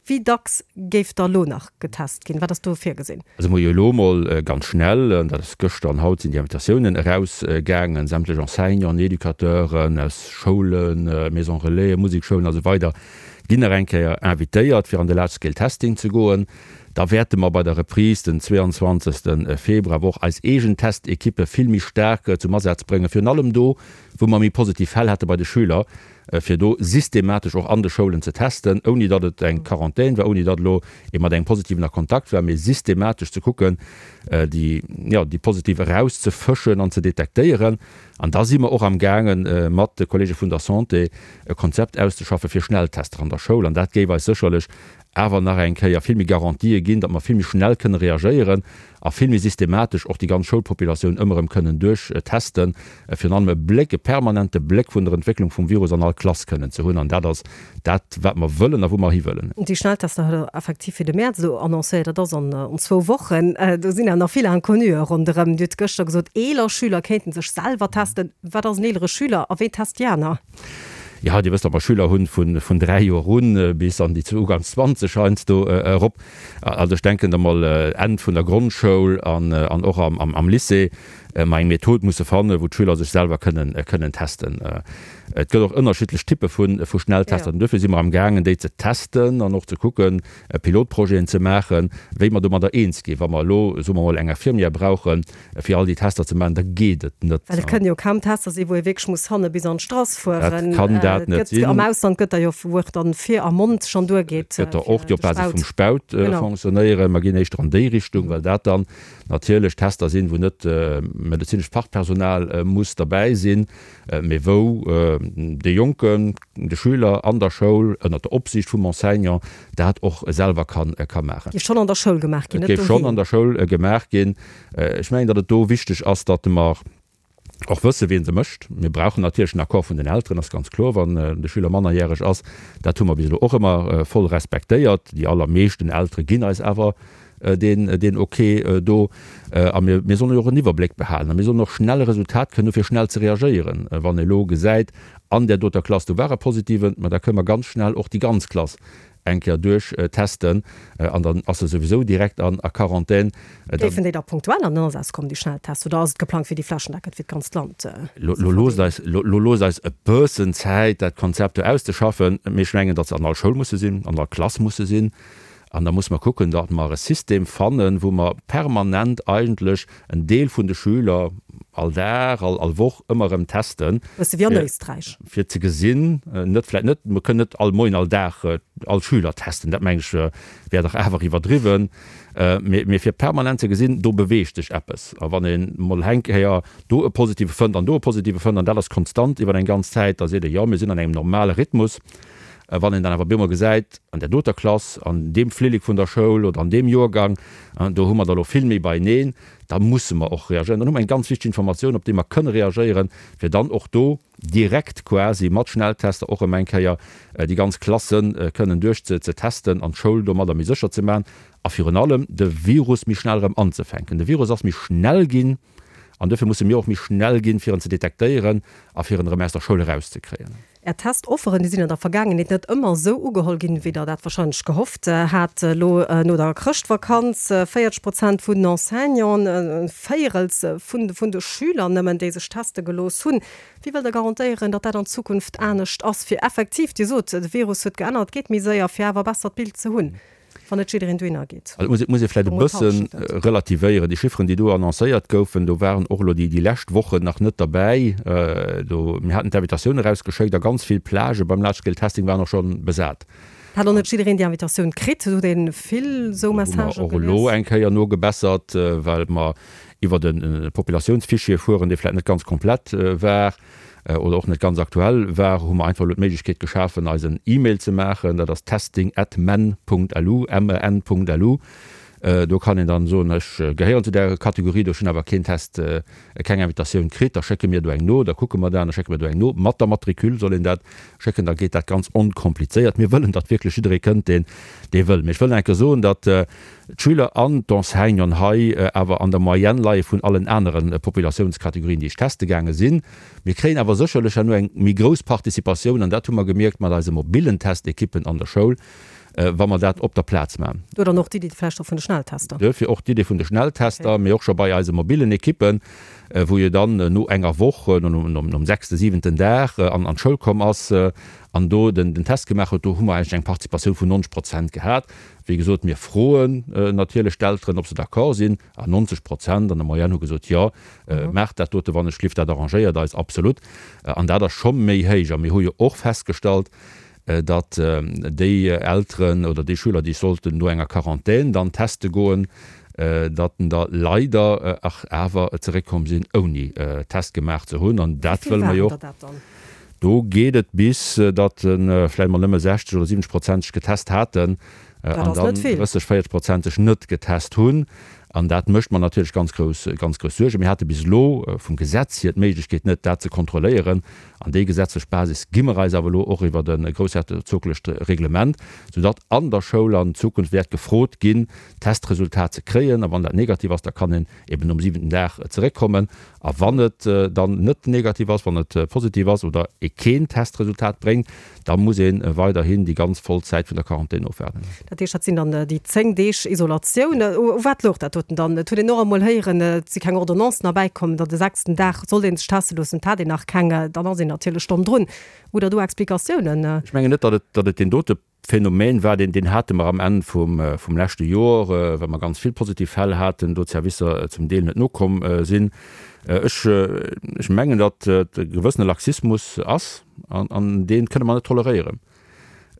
Wéi dacks géif da lo nach getest ginn? Wat ass do virgesinn? Also mer hu jo elo emol ganz schnell, an dat ass gëschter an haut sinn déi Invitatiounen erausgaangen, sämtlech Enseignanten, Educateuren aus Schoulen, Maisons Relaisen, Musekschoulen a sou weider ginn nach eng Kéier invitéiert, fir an de Large Scale Testing ze goen. Da wäerte mer bei der Reprise den 22. Februar awer och eis eegen Testekippe vill méi staark zum Asaz bréngen, virun allem do, wou mer méi positiv Fäll hate bei de Schüler, fir do systematesch och an de Schoulen ze testen, ouni datt et eng Quarantän war, ouni datt elo ee mat engem Positiven a Kontakt war, mee systematesch ze kucken, déi, jo, déi Positiv erauszefëschen an ze detektéieren. An da si mer och amgaangen, mat de Kollege vun der Santé e Konzept auszeschaffen fir Schnelltester an der Schoul. An dat géif eis sécherlech awer nach eng Kéier vill méi Garantië ginn, datt mer vill méi schnell kënne reagéieren a vill méi systematesch och déi ganz Schoulpopulatioun ëmmer erëm kënnen duerchtesten, virun allem e Bléck, e permanente Bléck vun der Entwécklung vum Virus an all Klass kënnen ze hunn. An dat ass dat, wat mer wëllen a wou mer hiwëllen. Déi Schnelltester huet Der effektiv fir de Mäerz elo annoncéiert. Dat ass an zwou Wochen. Do sinn awer nach vill Inconnue ronderëm. Dir hutt gëschter gesot, eeler Schüler kéinte sech selwer testen. Wat ass en eelere Schüler a wéi test déi aner? Jo, Dir wësst, datt mer Schüler hunn vun 3 Joer un bis an déi uganks 20 heiansdo erop. Also ech denken, datt mer Enn vun der Grondschoul an och am Lycée mer eng Method musse fannen, wou d'Schüler sech selwer kënnen testen. Et gëtt och ënnerschiddlech Typpe vu Schnelltester. An duerfir si mer amgaangen, déi ze testen an och ze kucken, Pilotprojeten ze maachen, wéi mer domadder eens ginn. Wa mer elo, soe mer emol, eng Infirmière brauchen, Fir all déi Tester ze maachen, da geet et net. Well et kënnen jo kaum Tester sinn, wou ee wierklech muss hanne bis an d'Strass fueren. Dat kann dat net sinn. Am Ausland gëtt der jo, wou och dann vir am Mond schonn duergeet. Et gëtt der och, déi op Basis vum Spaut fonctionnéieren. Mer ginn éischter an déi Richtung, well dat dann natierlech Tester sinn, wou net medezinescht Fachpersonal muss derbäi sinn, mee wou de Jonken, de Schüler an der Schoul ënnert der Opsiicht vum Enseignant dat och selwer ka maachen. Géif schonn an der Schoul gemaach ginn, net doheem. Et géif schonn an der Schoul gemaach ginn. Ech mengen, datt et do wichteg ass, datt mer. Och wësse wien se mécht. Mir brauchen natierlech den Accord vun den Elteren, ass ganz kloer, wann de Schüler mannerjäreg ass. Dat hu mer bis elo och ëmmer voll respektéiert. Déi allermeeschten Eltere ginn eis awer deen, deen Ok do. A mir, mir sollen jo och en Iwwerbléck behalen a mir sollen och schnell e Resultat kënnen hu fir schnell ze reagéieren. Wann ee elo gesäit, an där doter Klass do war e Positiven, ma da kënne mer ganz schnell och déi ganz Klass eng Kéier duerch testen an dann ass e souwisou direkt an a Quarantän. Géifen déi da punktuell an den Asaz kommen, déi Schnelltests, oder ass et geplangt fir déi flächendeckend fir d'ganzt Land ze Lo loosst eis, lo loosst eis e bëssen Zäit dat Konzept do auszeschaffen. Mee ech mengen, datt se an all Schoul musse sinn, an all Klass musse sinn. An da musse mer kucken, datt mer e System fannen, wou mer permanent eigentlech en Deel vun de Schüler all Dag, all all Woch ëmmer erëm testen. Bësse wéi an Éisträich. Fir ze gesinn, net vläicht net, mer kënnen net all Moien, all Dag all Schüler testen, dat meng ech wär dach awer iwwerdriwwen, mee mee fir permanent ze gesinn, do beweegt sech eppes. A wann ee mol eng Kéier do e Positive fënnt an do e Positive fënnt an dat ass konstant iwwer eng ganz Zäit, da seet ee jo, mir sinn an engem normale Rhythmus. Wann een dann awer bemol gesäit, an där doter Klass, an deem Flillek vun der Schoul oder an deem Joergang, do hu mer der elo vill méi beieneen, da musse mer och reagéieren. Dann hu mer eng ganz wichteg Informatioun, op déi mer kënne reagéieren, fir dann och do direkt quasi mat Schnelltester och erëm eng Kéier déi ganz Klasse kënnen duerch ze testen an d'Schoul domadder méi sécher ze maachen a virun allem de Virus méi schnell erëm anzefänken. De Virus ass méi schnell ginn an dofir musse mir och méi schnell ginn, fir en ze detektéieren a fir en erëm aus der Schoul erauszekréien. Är Testofferen, déi sinn an der Vergaangenheet net ëmmer esou ugeholl ginn, wéi Der dat wahrscheinlech gehofft hat. Elo no der Chrëschtvakanz, 40 Prozent vun den Enseignanten, e Véierels vun vun de Schüler nëmmen, déi sech teste gelooss hunn. Wéi wëllt Der garantéieren, datt dat an Zukunft anescht ass, fir effektiv, Dir sot, de Virus huet geännert, geet méi séier, fir awer e bessert Bild ze hunn? Wann net jiddereen dohinner geet. Also et muss ee vläicht e bësse relativéieren. Déi Chifferen, déi do annoncéiert goufen, do waren och elo déi lescht Wochen nach net derbäi. Do, mir haten d'Invitatioun erausgeschéckt a ganz vill Plagë beim Large Scale Testing waren och scho besat. Hat och net jiddereen déi Invitatioun kritt. Do huet ee vill esou Messagë gelies. Do hu mer och elo eng Kéier nogebessert, well mer iwwert e Populatiounsfichier fueren, dee vläicht net ganz komplett war. oder och net ganz aktuell war, hu mer einfach elo d'Méiglechkeet geschafen, eis en E-Mail ze maachen. Dat ass testing at men Punkt lu, M-E-N Punkt lu. Do kann een dann soen, ech gehéieren zu där Kategorie do, ech hunn awer keen Test, keng Invitatioun kritt. Da schécke mir do eng no, da kucke mer dat an da schécke mir do eng no. Mat der Matricule soll een dat schécken, da geet dat ganz onkomplizéiert. Mir wëllen, datt wierklech jidderee kënnt, deen dee wëll. Mee ech wëll nach eng Kéier soen, datt d'Schüler an d'Enseignanten hei awer an der Moyenne leie vun allen anere Populatiounskategorien, déi ech teste gaange sinn. Mir kréien awer sécherlech herno eng méi grouss Participatioun, an dat hu mer gemierkt mat eise mobilen Testekippen an der Schoul, wa mer dat op der Plaz maachen. Do dann och d'Iddi vläicht och vun de Schnelltester. Duerfir och d'Iddi vun de Schnelltester, mee och scho bei eise mobilen Ekippen, wou jo dann no enger Woch, nom sechsten, siwenten Dag an d'Schoul komm ass an do den Test gemaach huet, do hu mer eigentlech eng Participatioun vun 90 Prozent gehat. Wéi gesot, mir froen natierlech d'Elteren, ob se d'accord sinn, a 90 Prozent an der Moyenne hu gesot, jo, maacht dat dote wann ech lift, dat arrangéiert eis absolut. An dat ass scho méi héich. A mir hu jo och festgestallt, datt déi Elteren oder déi Schüler, déi sollten no enger Quarantän dann teste goen, datt en der leider ach awer zeréckkomm sinn, ouni Test gemaach ze hunn. An dat wëlle mer jo och. Do geet et bis, datt vläicht mol nëmme 60 oder 70 Prozent sech getest haten an dann 30, 40 Prozent sech net getest hunn. An dat mécht mer natierlech ganz grouss, ganz grouss Suergen. Mir hate bis elo vum Gesetz hier d'Méiglechkeet net, dat ze kontrolléieren. An déi gesetzlech Basis gi mer eis awer elo och iwwert e groussherzoglecht Reglement, soudatt an der Schoul an Zukunft wäert gefrot ginn, d'Testresultat ze kréien. A wann dat negativ ass, da kann een eben nom siwenten Dag zeréckkommen. A wann et dann net negativ ass, wann et positiv ass oder ee keen Testresultat bréngt, da muss ee weiderhin déi ganz voll Zäit vun der Quarantän ofwaarden. Dat heescht, dat sinn dann déi 10 Deeg Isolatioun. U wat louch dat doten dann? Et huet een och emol héieren, et si keng Ordonnancen erbäikomm, datt de sechsten Dag sollt ee sech teste loossen. Et hat een nach keng, dann ass een natierlech domm drun. Hutt Der do Explikatiounen? Ech mengen net, datt et, datt et deen dote Phänomen war, deen, deen hate mer am Enn vum, vum leschte Jor, well mer ganz vill positiv Fäll haten, do d'Servicer zum Deel net nokomm sinn. Ech, ech mengen, datt et e gewëssene Laxismus ass an, an dee kënne mer net toleréieren.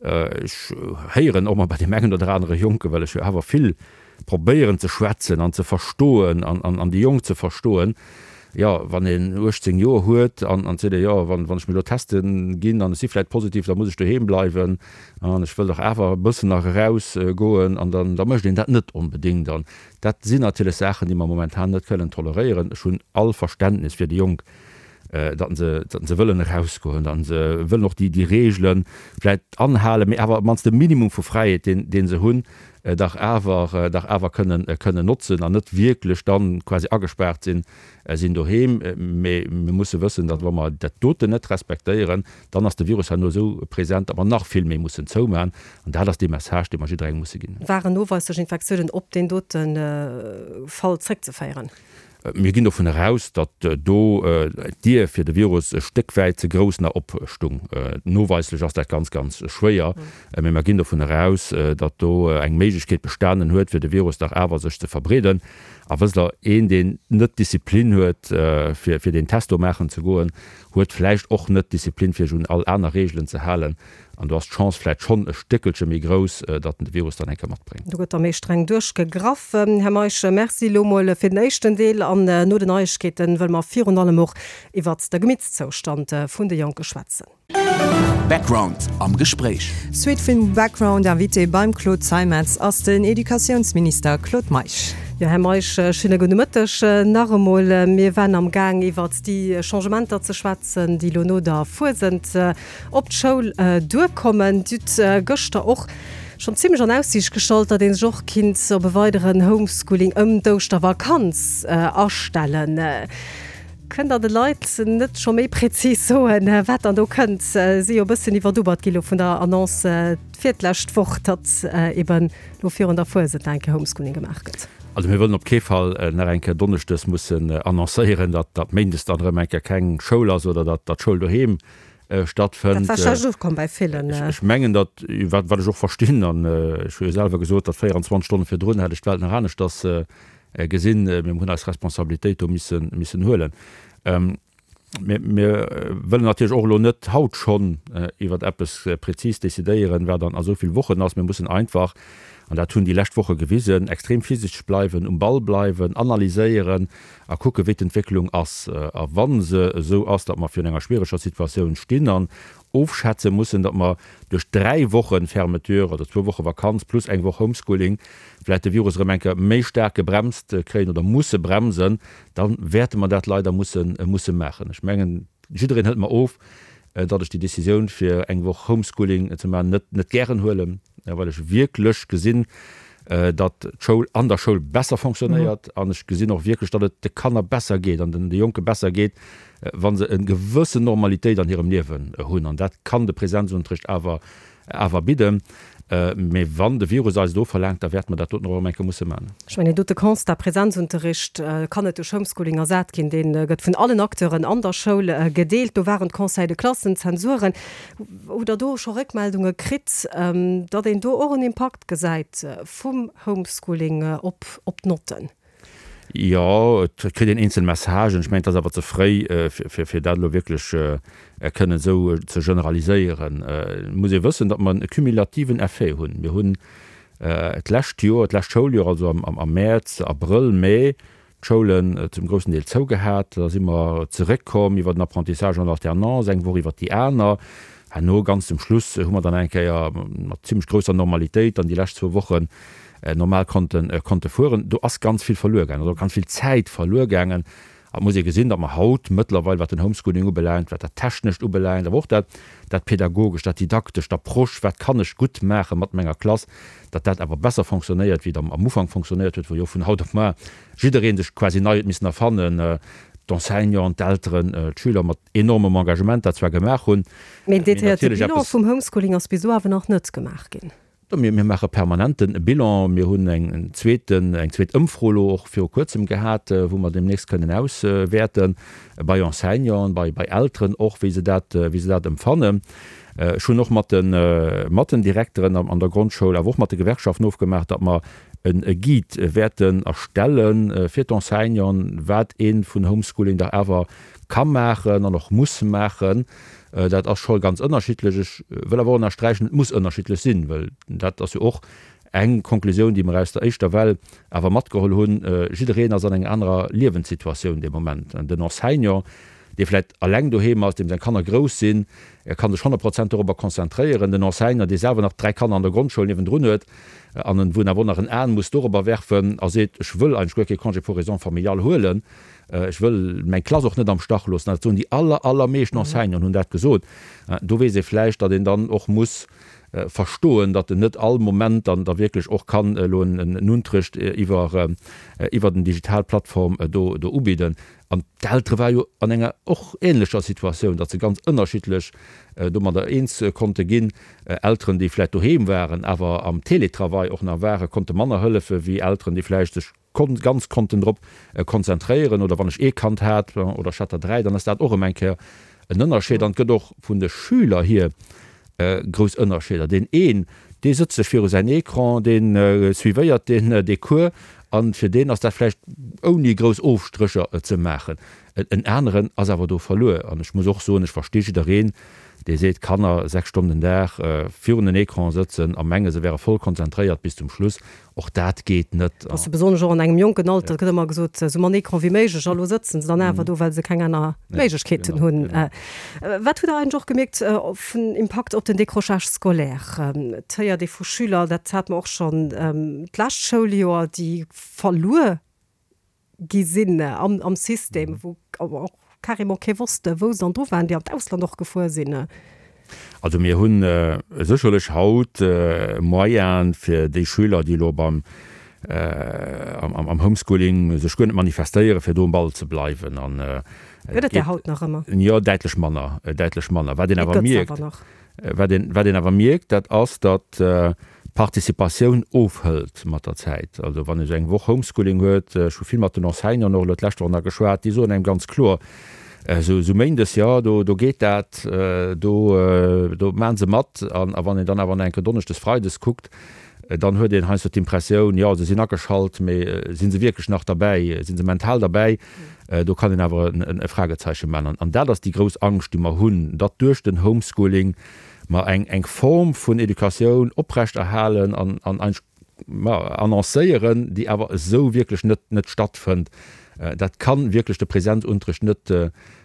Ech héieren och mol bei deem engen oder anere Jonken, well ech jo awer vill probéieren ze schwätzen an ze verstoen an, an, an déi Jonk ze verstoen. Jo, wann een 18 Joer huet an an seet ee, jo, wann wann ech mech elo teste ginn an ech si vläicht positiv, da muss ech doheem bleiwen an ech wëll dach awer e bëssen nach eraus goen an dann da mécht een dat net onbedéngt. An dat sinn natierlech Saachen, déi mer momentan net kënnen toleréieren. Ech hunn all Verständnis fir déi Jonk, datt se datt se wëllen erausgoen, datt se wëllen och déi déi Reegele vläicht anhalen, mee awer op d'mannst de Minimum vu Fräiheet, deen dee se hunn, dach awer dach awer kënnen kënnen notzen an net wierklech dann quasi agespaart sinn sinn doheem. Mee mir musse wëssen, datt wa mer dat doten net respektéieren, dann ass de Virus herno esou present, datt mer nach vill méi mussen zoumachen. An dat ass dee Message, dee mer jidderengem musse ginn. Waren noweislech Infektiounen op deen dote Fall zréckzeféieren? Mir ginn dovun eraus, datt do d'Dier fir de Virus e Stéck wäit ze grouss nach opstung. Noweislech ass dat ganz, ganz schwéier, mee mer ginn dovun eraus, datt do eng Méiglechkeet bestanen huet, fir de Virus dach awer sech ze verbreeden. A wësst Der, een, deen net d'Disziplin huet, fir deen Test do maachen ze goen, huet vläicht och net d'Disziplin, fir sech un all aner Reegelen ze halen. An do ass d'Chance vläit schonn e Stéckelche méi grouss, datt en de Virus dann eng Kéier matbréngt. Do gëtt da méi streng duerchgegraff. Här Meisch, Merci elo mol fir den éischten Deel. An no den Neiegkeeten wëlle mer virun allem och iwwert de Gemittszoustand vun de Jonke schwätzen. Background am Gespréich. Suite vum Background Invité beim Claude Zeimetz ass den Educatiounsminister Claude Meisch. Jo, Här Meisch, schéine gudde Mëtteg nach emol. Mir waren am Gaang iwwert déi Changementer ze schwätzen, déi elo no der Fuesent op d'Schoul duerkommen. Dir hutt gëschter och schonn zimmlech an Aussiicht gestallt, datt ee sech och kinnt op e weideren Homeschooling ëm d'Ouschtervakanz astellen. Kënnt Der de Leit net scho méi prezis soen, wat dann do kënnt? Si jo e bëssen iwwerdubbert gi lo vun der Annonce fir d'lescht Woch, datt eben lo virun der Fuesent nach eng Kéier Homeschooling gemaach gëtt. Also mir wëllen op kee Fall nach eng Kéier donneschdes mussen annoncéieren, datt méindes dann erëm eng Kéier keng Schoul ass oder datt d'Schoul doheem stattfënnt. Dat war schlecht ukomm bei villen. Ech mengen, datt, wat ech och verstinn, an ech hu jo selwer gesot, datt 24 Stonne virdrun hätt ech d'Welt nach aneschters gesinn, mee mir hunn eis Responsabilitéit do missen, missen huelen. Mir, mir wëllen natierlech och elo net haut schonn iwwert eppes prezis decidéieren, wat an esou vill Wochen ass. Mir mussen einfach, an dat hunn déi lescht Woche gewisen, extrem virsichteg bleiwen, um Ball bleiwen, analyséieren, a kucke wéi d'Entwécklung ass. A wa se esou ass, datt mer virun enger schwiereger Situatioun stinn an ofschätze mussen, datt mer duerch 3 Woche Fermeture oder zwou Woche Vakanz plus eng Woch Homeschooling vläicht de Virus erëm eng Kéier méi staark gebremst kréien oder musse bremsen, da wäerte mer dat leider musse musse maachen. Ech mengen, jiddereen hëlt mer of, datt ech déi Décisioun fir eng Woch Homeschooling ze maachen net net gären huelen, well ech wierklech gesinn, datt d'Schoul an der Schoul besser fonctionnéiert an ech gesinn och wierklech, datt et de Kanner besser geet an den de Jonke besser geet, wa se e gewëssen Normalitéit an hirem Liewen hunn. An dat kann de Präsenzunterricht awer awer bidden. Mee wann de Virus eis et ofverlaangt, da wäerte mer dat doten och erëm eng Kéier musse maachen. Ech mengen, deen dote Constat, Präsenzunterricht kann net duerch Homeschooling ersat ginn, dee gëtt vun allen Acteuren an der Schoul gedeelt. Do waren d'Conseils de classen, d'Zensuren. Hutt Der do scho Réckmeldunge kritt, datt een do och en Impakt gesäit vum Homeschooling op op d'Notten? Jo, et kritt een eenzel Messagen. Ech mengen, et ass awer ze fréi, fir dat elo wierklech kënnen esou ze generaliséieren. Et muss ee wëssen, datt mer e cumulativen Effet hunn. Mir hunn d'lescht Joer, d'lescht Schouljoer, also am Mäerz, Abrëll, Mee, d'Schoulen zum groussen Deel zougehat. Da si mer zeréckkomm iwwer den Apprentissage en alternance, eng Woch iwwer déi aner. Herno, ganz zum Schluss, hu mer dann eng Kéier mat zimlech grousser Normalitéit dann déi lescht zwou Wochen normal konnte konnte fueren. Do ass ganz vill verluer gaangen, also ganz vill Zäit verluer gaangen. A et muss ee gesinn, datt mer haut mëttlerweil, wat den Homeschooling ubelaangt, wat dat Technescht ubelaangt, awer och dat dat Pädagogescht, dat Didaktescht, d'Approche, wat kann ech gutt maache mat menger Klass, datt dat awer besser fonctionnéiert, wéi et am Ufank fonctionnéiert huet, wou jo vun haut op mar jidderee sech quasi nei huet missen erfannen, d'Enseignanten, d'Elteren, d'Schüler mat enormem Engagement dat zwar gemaach hunn, Mee en detailléierte Bilan vum Homeschooling ass bis elo awer nach net gemaach ginn. Mir maache permanent e Bilan. Mir hunn eng zweeten, eng zweet Ëmfro elo och viru Kuerzem gehat, wou mer deemnächst kënnen auswäerten, bei Enseignanten, bei, bei Elteren och, wéi se dat, wéi se dat empfannen. Ech hunn och mat de, mat den Direkteren an der Grondschoul, awer och mat de Gewerkschaften ofgemaach, datt mer e Guide wäerten erstelle fir d'Enseignanten, wat ee vun Homeschooling dach awer ka maachen an och muss maachen. Dat ass scho ganz ënnerschiddlech. Ech wëll awer och ënnersträichen, et muss ënnerschiddlech sinn, well dat ass jo och. Eng Konklusioun, déi mer aus der éischter Well awer matgeholl hunn, Jiddereen ass an enger anerer Liewenssituatioun dee Moment. Den Enseignant, dee vläicht eleng doheem ass, deem seng Kanner grouss sinn, ka sech 100 Prozent dorobber konzentréieren. Den Enseignant, dee selwer nach 3 Kanner an der Grondschoul niewendrun huet an wou en awer och nach en Aen muss dorobber werfen a seet, ech wëll eigentlech guer kee Congé pour raisons familiales huelen, ech wëll meng Klass och net am Stach loossen, dat soen déi aller, allermeeschten Enseignanten hunn dat gesot, do weess ee vläicht, datt een dann och muss verstoen, datt en net all Moment dann da wierklech och kann elo en Unterrecht iwwer iwwer den digital Plattform do do ubidden. An d'Eltere ware jo an enger och ähnlecher Situatioun, datt se ganz ënnerschiddlech domadder eens konnte ginn. Elteren, déi vläicht doheem waren, awer am Télétravail och nach waren, konnte manner hëllefe wéi Elteren, déi vläicht sech ganz konnten drop konzentréieren. Oder wann ech ee Kand hat oder ech hat der 3, dann ass dat och erëm eng Kéier en Ënnerscheed. An et gëtt och vun de Schüler hier grouss Ënnerscheeder. Deen een, dee sëtzt sech viru säin Ecran, dee suivéiert deen dee Cours a fir deen ass dat vläicht ouni grouss Ofstrécher ze maachen. En aneren ass awer do verluer. An ech muss och soen, ech versti jiddereen, dee seet, Kanner 6 Stonnen den Dag virun den Ecran sëtzen a menge se wäre voll konzentréiert bis zum Schluss, Och dat geet net. Ass jo besonnesch och an engem jonken Alter, et gëtt ëmmer gesot, esou mann Ecran wéi méiglech, a lo sëtzen se dann awer do, well se keng aner Méiglechkeeten hunn. Wat hutt Der eigentlech och gemierkt vun Impakt op den Décrochage scolaire? Et héiert ee vu Schüler, dat hate mer och schonn d'lescht Schouljoer, déi verluer gi sinn am System, wou och carrément kee wosst, wou se dann dru waren, déi an d'Ausland och gefuer sinn. Also mir hu sécherlech haut Moyene fir déi Schüler, déi elo beim am Homeschooling sech guer net manifestéieren, fir do um Ball ze bleiwen. An Gëtt et där haut nach ëmmer? Jo, däitlech manner, däitlech manner. Wat een awer mierkt, Wat een, wat een awer mierkt, dat ass, datt d'Participatioun ofhëlt mat der Zäit. Also wann ee sou eng Woch Homeschooling huet, ech hu vill mat den Enseignanten och elo d'lescht Woch nach geschwat, déi soen engem ganz kloer, esou, esou méindes, jo, do, do geet dat, do, do maachen se mat. An, a wann een dann awer nach eng Kéier donneschdes, freides kuckt, dann huet een heiansdo d'Impressioun, jo, se sinn ageschalt, mee si se wierklech nach derbäi, si se mental derbäi? Do kann een awer e Fragezeichen maachen. An dat ass déi grouss Angscht, déi mer hunn, datt duerch den Homeschooling mer eng Form vun Educatioun oprechterhalen an eigentlech, ma, annoncéieren, déi awer esou wierklech net stattfënnt. Dat ka wierklech de Präsenzunterricht net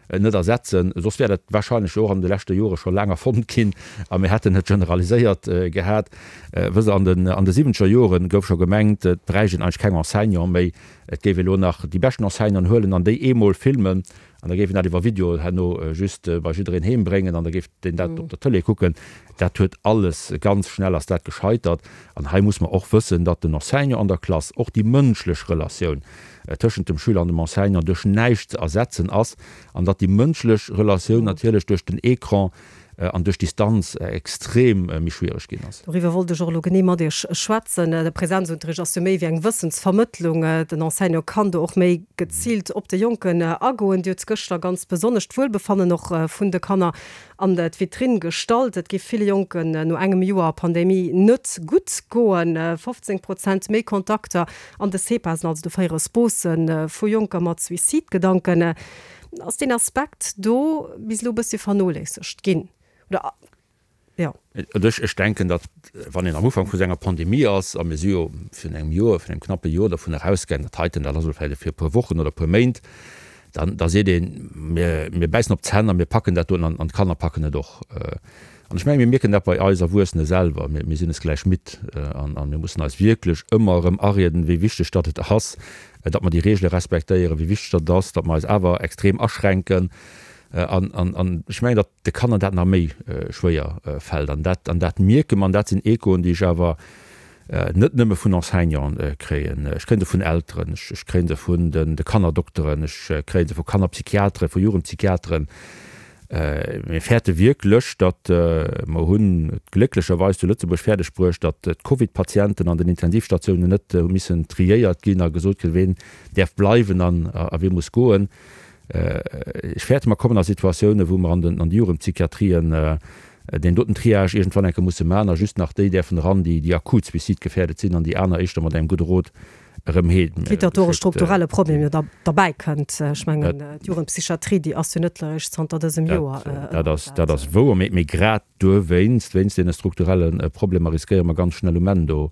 ersetzen. Soss wär dat wahrscheinlech jo och an de leschte Jore scho laang erfonnt ginn a mir hätten et generaliséiert gehat. Wësst Der, an de siwwenzeger Jore gouf scho gemengt, et bräicht een eigentlech keng Enseignante méi, Et géif ee lo nach déi beschten Enseignanten huelen an déi eemol filmen an da géif een dat iwwer Video herno just bei jiddereen heem bréngen an da géif deen dat op der Tëlee kucken. Dat huet alles, ganz schnell ass dat gescheitert. An hei muss mer och wëssen, datt den Enseignant an der Klass, och déi mënschlech Relatioun tëschent dem Schüler an dem Enseignant duerch näischt ze ersetzen ass an datt déi mënschlech Relatioun natierlech duerch den Ecran an duerch d'Distanz extrem méi schwiereg ginn ass. Doriwwer wollt ech och elo genee mat Iech schwätzen. De Präsenzunterricht ass jo méi wéi eng Wëssensvermëttlung. Den Enseignant kann do och méi geziilt op de Jonken agoen. Dir hutt gëschter ganz besonnesch d'Wuelbefannen och vun de Kanner an d'Vitrinn gestallt. Et géif ville Jonken no engem Joer Pandemie net gutt goen. 15 Prozent méi Kontakter an de CEPASen, also de fréiere SPOSen, vu Jonker mat Suizidgedanken. Ass deen Aspekt do bis elo e bëssche vernoléissegt ginn, oder? Jo. Ech, ech denken, datt, wann een am Ufank vu sou enger Pandemie ass, a mir si jo virun engem Joer, virun engem knappe Joer dervun erausgaangen, dat heiten, dat ass elo vläicht fir e puer Wochen oder e puer Méint, dann, da seet een, mir, mir bäissen op d'Zänn a mir packen dat doen an d'Kanner packen et och. An ech mengen, mir mierken dat bei eis Erwuessene selwer, mir, mir sinn es gläich midd an, a mir mussen eis wierklech ëmmer erëm arieden, wéi wichteg datt et ass, datt mer déi Regele respektéieren, wéi wichteg datt et ass, datt mer eis awer extrem aschränken. An, an, an ech mengen, datt de Kanner dat nach méi schwéier fält. An dat, an dat mierke mer, an dat sinn Echoen, déi ech awer net nëmme vun Enseignanten kréien, ech kréien se vun Elteren, ech, ech kréien se vun den, de Kannerdokteren, ech kréien se vu Kannerpsychiateren, vu Jugendpsychiateren. Mir fäerte wierklech, datt, mer hunn et glécklecherweis zu Lëtzebuerg fäerdeg bruecht, datt d'Covid-Patienten an den Intensivstatiounen net hu missen triéiert ginn a gesot kritt, ween däerf bleiwen an a wee muss goen. Ech fäerte, mer kommen a Situatiounen, wou mer an den an de Jugendpsychiatrien deen doten Triage iergendwann eng Kéier musse maachen a just nach déi däerfen eran, déi déi akut suizidgefährdet sinn an déi aner éischter mat engem gudde Rot erëm heem Quitte datt do och e strukturelle Problem jo derbäi kënnt. Ech mengen, d'Jugendpsychiatrie, déi ass jo net eréischt zanter dësem Joer ënner dat. Dat ass wouer, mee grad duerwéinst, wéinst deene strukturelle Problemer riskéiere mer ganz schnell um Enn do.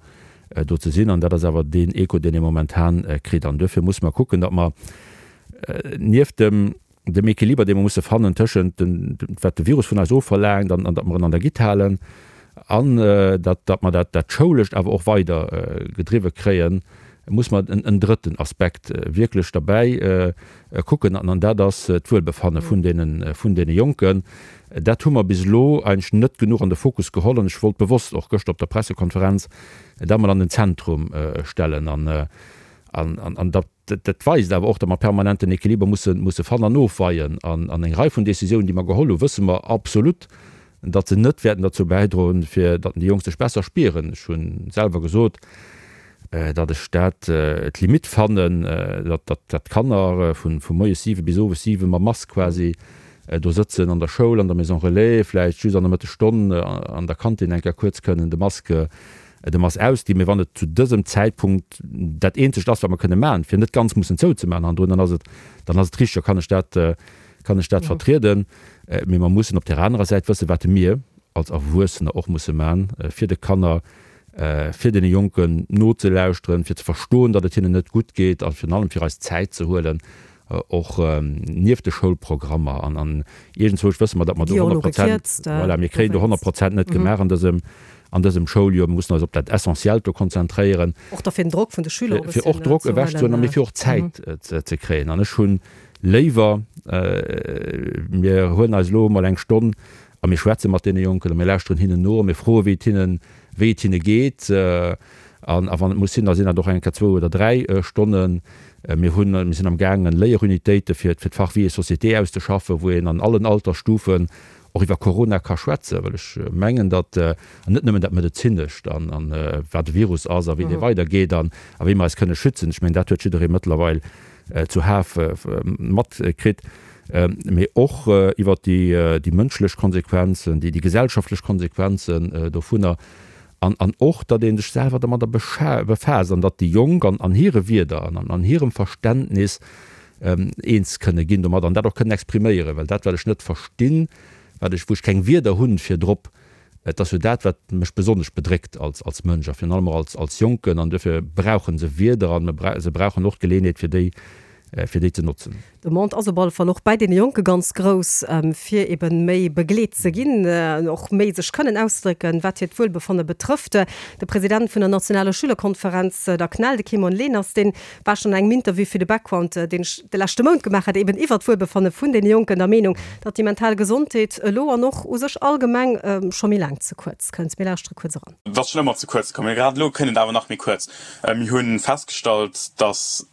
do ze sinn. An dat ass awer deen Echo, deen ee momentan kritt. An duerfir musse mer kucken, datt mer nieft dem dem Equiliber, dee mer musse fannen tëschent dem, wat de Virus vun eis ofverlaangt an datt mer en an der Gitt halen an datt, datt mer dat, dat Schoulescht awer och weider gedriwwe kréien, muss mer en drëtten Aspekt wierklech derbäi kucken an dat ass d'Wuelbefanne vun deene, vun deene Jonken. Dat hu mer bis elo eigentlech net genuch an de Fokus geholl an ech wollt bewosst och gëschter op der Pressekonferenz dat mol an den Zentrum stellen an, an datt, Dat weist awer och, datt mer permanent den Equiliber musse fannen an ofweien. An eng Rei vun Décisiounen, déi mer geholl hunn, wësse mer absolut, datt se net wäerten derzou bäidroen, fir datt déi Jonk sech besser spieren. Ech hu selwer gesot, datt ech dat d'Limite fannen, datt d'Kanner vu moies 7 bis owes 7 mam Mask quasi do sëtzen an der Schoul, an der Maison relais, vläicht just an der Mëttesstonn an der Kantin eng Kéier kuerz kënnen de Mask Dem ass ausginn, mee wann et zu dësem Zäitpunkt dat eenzegt ass, wat mer kënne maachen, fir net ganz mussen zouzemaachen hannendrun, dann ass et, dann ass et richteg, da kann ech dat, kann ech dat vertrieden. Mee mer mussen op där anerer Säit wëssen, wat mir als Erwuessener och musse maachen, fir de Kanner, fir deene Jonken nozelauschteren, fir ze verstoen, datt et hinnen net gutt geet a virun allem fir eis Zäit ze huelen, och nieft de Schoulprogrammer an an iergendzwousch wësse mer, datt mer do 100 Prozent, voilà, mir kréien do 100 Prozent net gemaach an dësem, an dësem Schouljoer. Mir mussen eis op dat Essentiellt do konzentréieren. Och da fir den Drock vun de Schüler e bësschen ze huelen. Fir och Drock ewechzehuelen a mee fir och Zäit ze kréien. An ech hu léiwer, mir huelen eis elo emol eng Stonn a mir schwätze mat deene Jonken a mir lauschteren hinnen no a mir froe wéi et hinnen, wéi et hinne geet. An a wann et muss sinn, da sinn dat och eng Kéier zwou oder dräi Stonnen. Mir hunn, mir sinn am gaangen, Léierunitéite fir d'Fach Vie et société auszeschaffen, wou een an allen Altersstufen och iwwer Corona ka schwätzen, well ech mengen, datt, an net nëmmen dat Medezinescht an an wat e Virus ass a wéi dee weidergeet an a wéi mer eis kënne schützen, ech mengen, dat huet jidderee mëttlerweil zuhaf matkritt, mee och iwwer déi déi mënschlech Konsequenzen, déi déi gesellschaftlech Konsequenzen dovunner. An, an och, datt ee sech selwer domadder befaasst an datt déi Jonk an, an hire Wierder an an hirem Verständnis eens kënne ginn domadder an dat och kënnen expriméieren. Well dat, wat ech net verstinn, wat ech, wou ech keng Wierder hunn fir drop, et ass jo dat, wat mech besonnesch bedréckt als, als Mënsch a virun allem och als, als Jonken. An duerfir brauche se Wierder an se brauchen och d'Geleeënheet, fir déi, fir déi ze notzen. D'Demande ass op alle Fall och bäi deene Jonke ganz grouss, fir eben méi begleet ze ginn, och méi sech kënnen auszedrécken, wat hiert Wuelbefanne betrëfft. De President vun der nationaler Schülerkonferenz, der CNEL, de Kimon Leners, dee war schonn an engem Interview fir de Background, deen ech de leschte Mount gemaach hat, eben iwwer d'Wuelbefanne vun deene Jonken, der Meenung, datt déi mental Gesondheet elo an och u sech allgemeng scho méi laang ze kuerz kënnt. Mir lauschtere kuerz eran. Et ass schonn ëmmer ze kuerz komm, mee grad elo kënnt et awer nach méi kuerz. Mir hu festgestallt, datt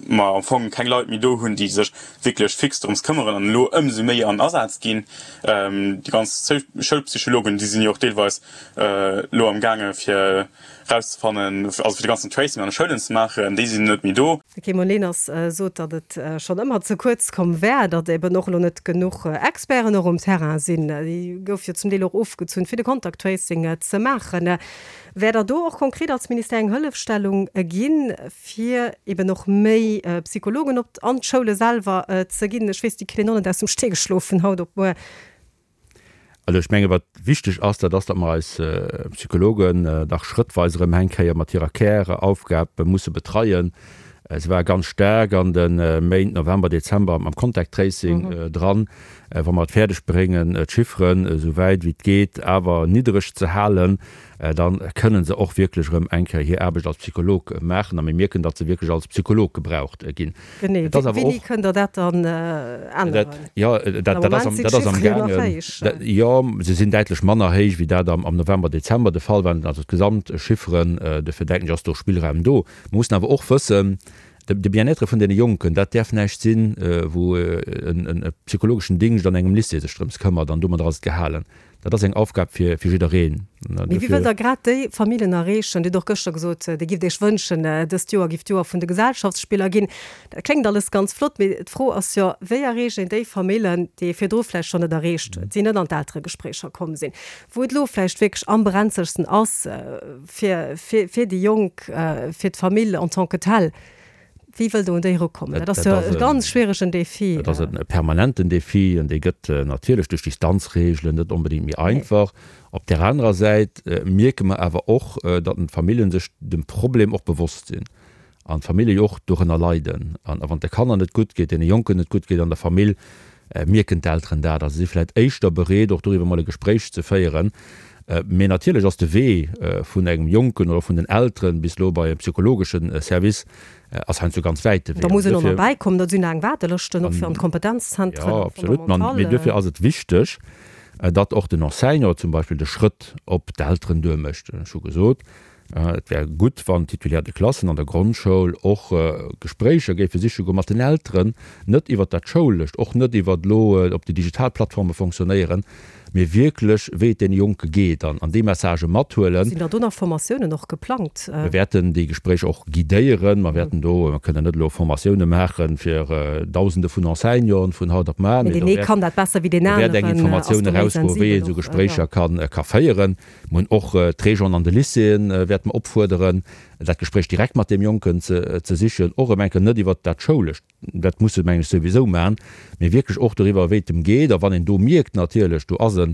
mer am Fong keng Leit méi do hunn, déi sech wierklech fix drëms këmmeren an elo ëmsou méi an Asaz ginn. Déi ganz Schoulpsychologen, déi sinn jo och deelweis elo am gaange fir erauszefannen, also fir de ganzen Tracing an de Schoulen ze maachen, déi sinn net méi do. De Kimon Leners sot, datt et schonn ëmmer ze kuerz komm wär, datt eben och elo net genuch Experten och um Terrain sinn. Déi gouf jo zum Deel och ofgezunn, fir de Contact Tracing ze maachen. Wäert Der do och konkret als Ministère eng Hëllefstellung ginn, fir eben och méi Psychologen op an d'Schoule selwer ze ginn? Ech weess, déi kritt een och net aus dem Stee geschloe vun haut op muer. Also ech menge wat wichteg ass, dat ass, datt mer eis Psychologen dach schrëttweis erëm eng Kéier mat hirer Käraufgab musse betreien. Se ware ganz staark an de Méint November, Dezember mam Contact Tracing dran. Wa mer et fäerdeg bréngen, d'Chifferen esou wäit wéi et geet awer niddereg ze halen, da kënne se och wierklech erëm eng Kéier hir Aarbecht als Psycholog maachen a mir mierken, datt se wierklech als Psycholog gebraucht ginn. Genee. Et ass awer Wéini och. Kënnt Der dat dann änneren? Jo, dat, dat ass am, dat ass am gaangen. Jo, se sinn däitlech manner héich, wéi dat am, am November, Dezember de Fall war. Also d'Gesamtchifferen, dofir denken ech, ass do Spillraum do. Mer mussen awer och wëssen, de Bien-être vun deene Jonken, dat däerf näischt sinn, wou e psychologeschen Dingscht an engem Lycée sech drëms këmmert an domadder ass et gehalen. Dat ass eng Aufgab fir jiddereen. Mee wéi wëllt Der grad déi Familljen erreechen? Dir hutt och gëschter gesot, Dir gifft Iech wënschen, dëst Joer giff d'Joer vun de Gesellschaftsspiller ginn. Dat kléngt alles ganz flott, mee d'Fro ass jo, wéi erreecht een déi Famillen, déi ee virdru vläicht schonn net erreecht huet, déi net an d'Elteregespréicher komm sinn, wou et elo vläicht wierklech am brenzegsten ass fir, fir, fir déi Jonk, fir d'Famill en tant que telle. Wéi wëllt Der un déi erukommen? Dat ass jo e ganz schwieregen Defi. Dat ass e permanenten Defi an dee gëtt natierlech duerch Distanzreegelen net onbedéngt méi einfach. Op där anerer Säit mierke mer awer och, datt d'Famillje sech dem Problem och bewosst sinn an d'Famillje jo och dorënner leiden. An wann et de Kanner net gutt geet, deene Jonken net gutt geet an der Famill, mierken d'Elteren dat a si si vläicht éischter bereet, och doriwwer mol e Gespréich ze féieren. Mee natierlech ass de Wee vun engem Jonken oder vun den Elteren bis elo bei e psychologesche Service ass heiansdo ganz wäit de Wee. Da muss een och nach bäikommen, dat sinn laang Waardelëschten och fir an d'Kompetenzzentren, Jo, absolut. Mee duerfir ass et wichteg, datt och den Enseignant zum Beispill de Schrëtt op d'Elteren duermécht. Ech hu gesot, et wär gutt, wann d'Titulaires de Klassen an der Grondschoul och Gespréicher géife siche goe mat den Elteren, net iwwert dat Schoulescht, och net iwwert elo, ob déi digital Plattforme fonctionnéieren, mee wierklech, wéi et deene Jonke geet an déi Messagë mathuelen. Sinn da do nach Formatiounen och geplangt? Mir wäerten déi Gespréicher och guidéieren. Mer wäerten do, mer kënnen net elo Formatioune maache fir Dausende vun Enseignanten vun haut op mar, mee do wäert eng Informatioun erausgoen, wéi een esou Gespréicher ka féieren. Mer hunn och d'Régenten an de Lycéeën wäerte mer opfuerderen, dat Gespréich direkt mat deem Jonken ze sichen, och erëm eng Kéier net iwwert dat Schoulescht, dat muss se mengen ech souwisou maachen, mee wierklech och doriwwer, wéi et em geet. A wann een do mierkt natierlech, do ass e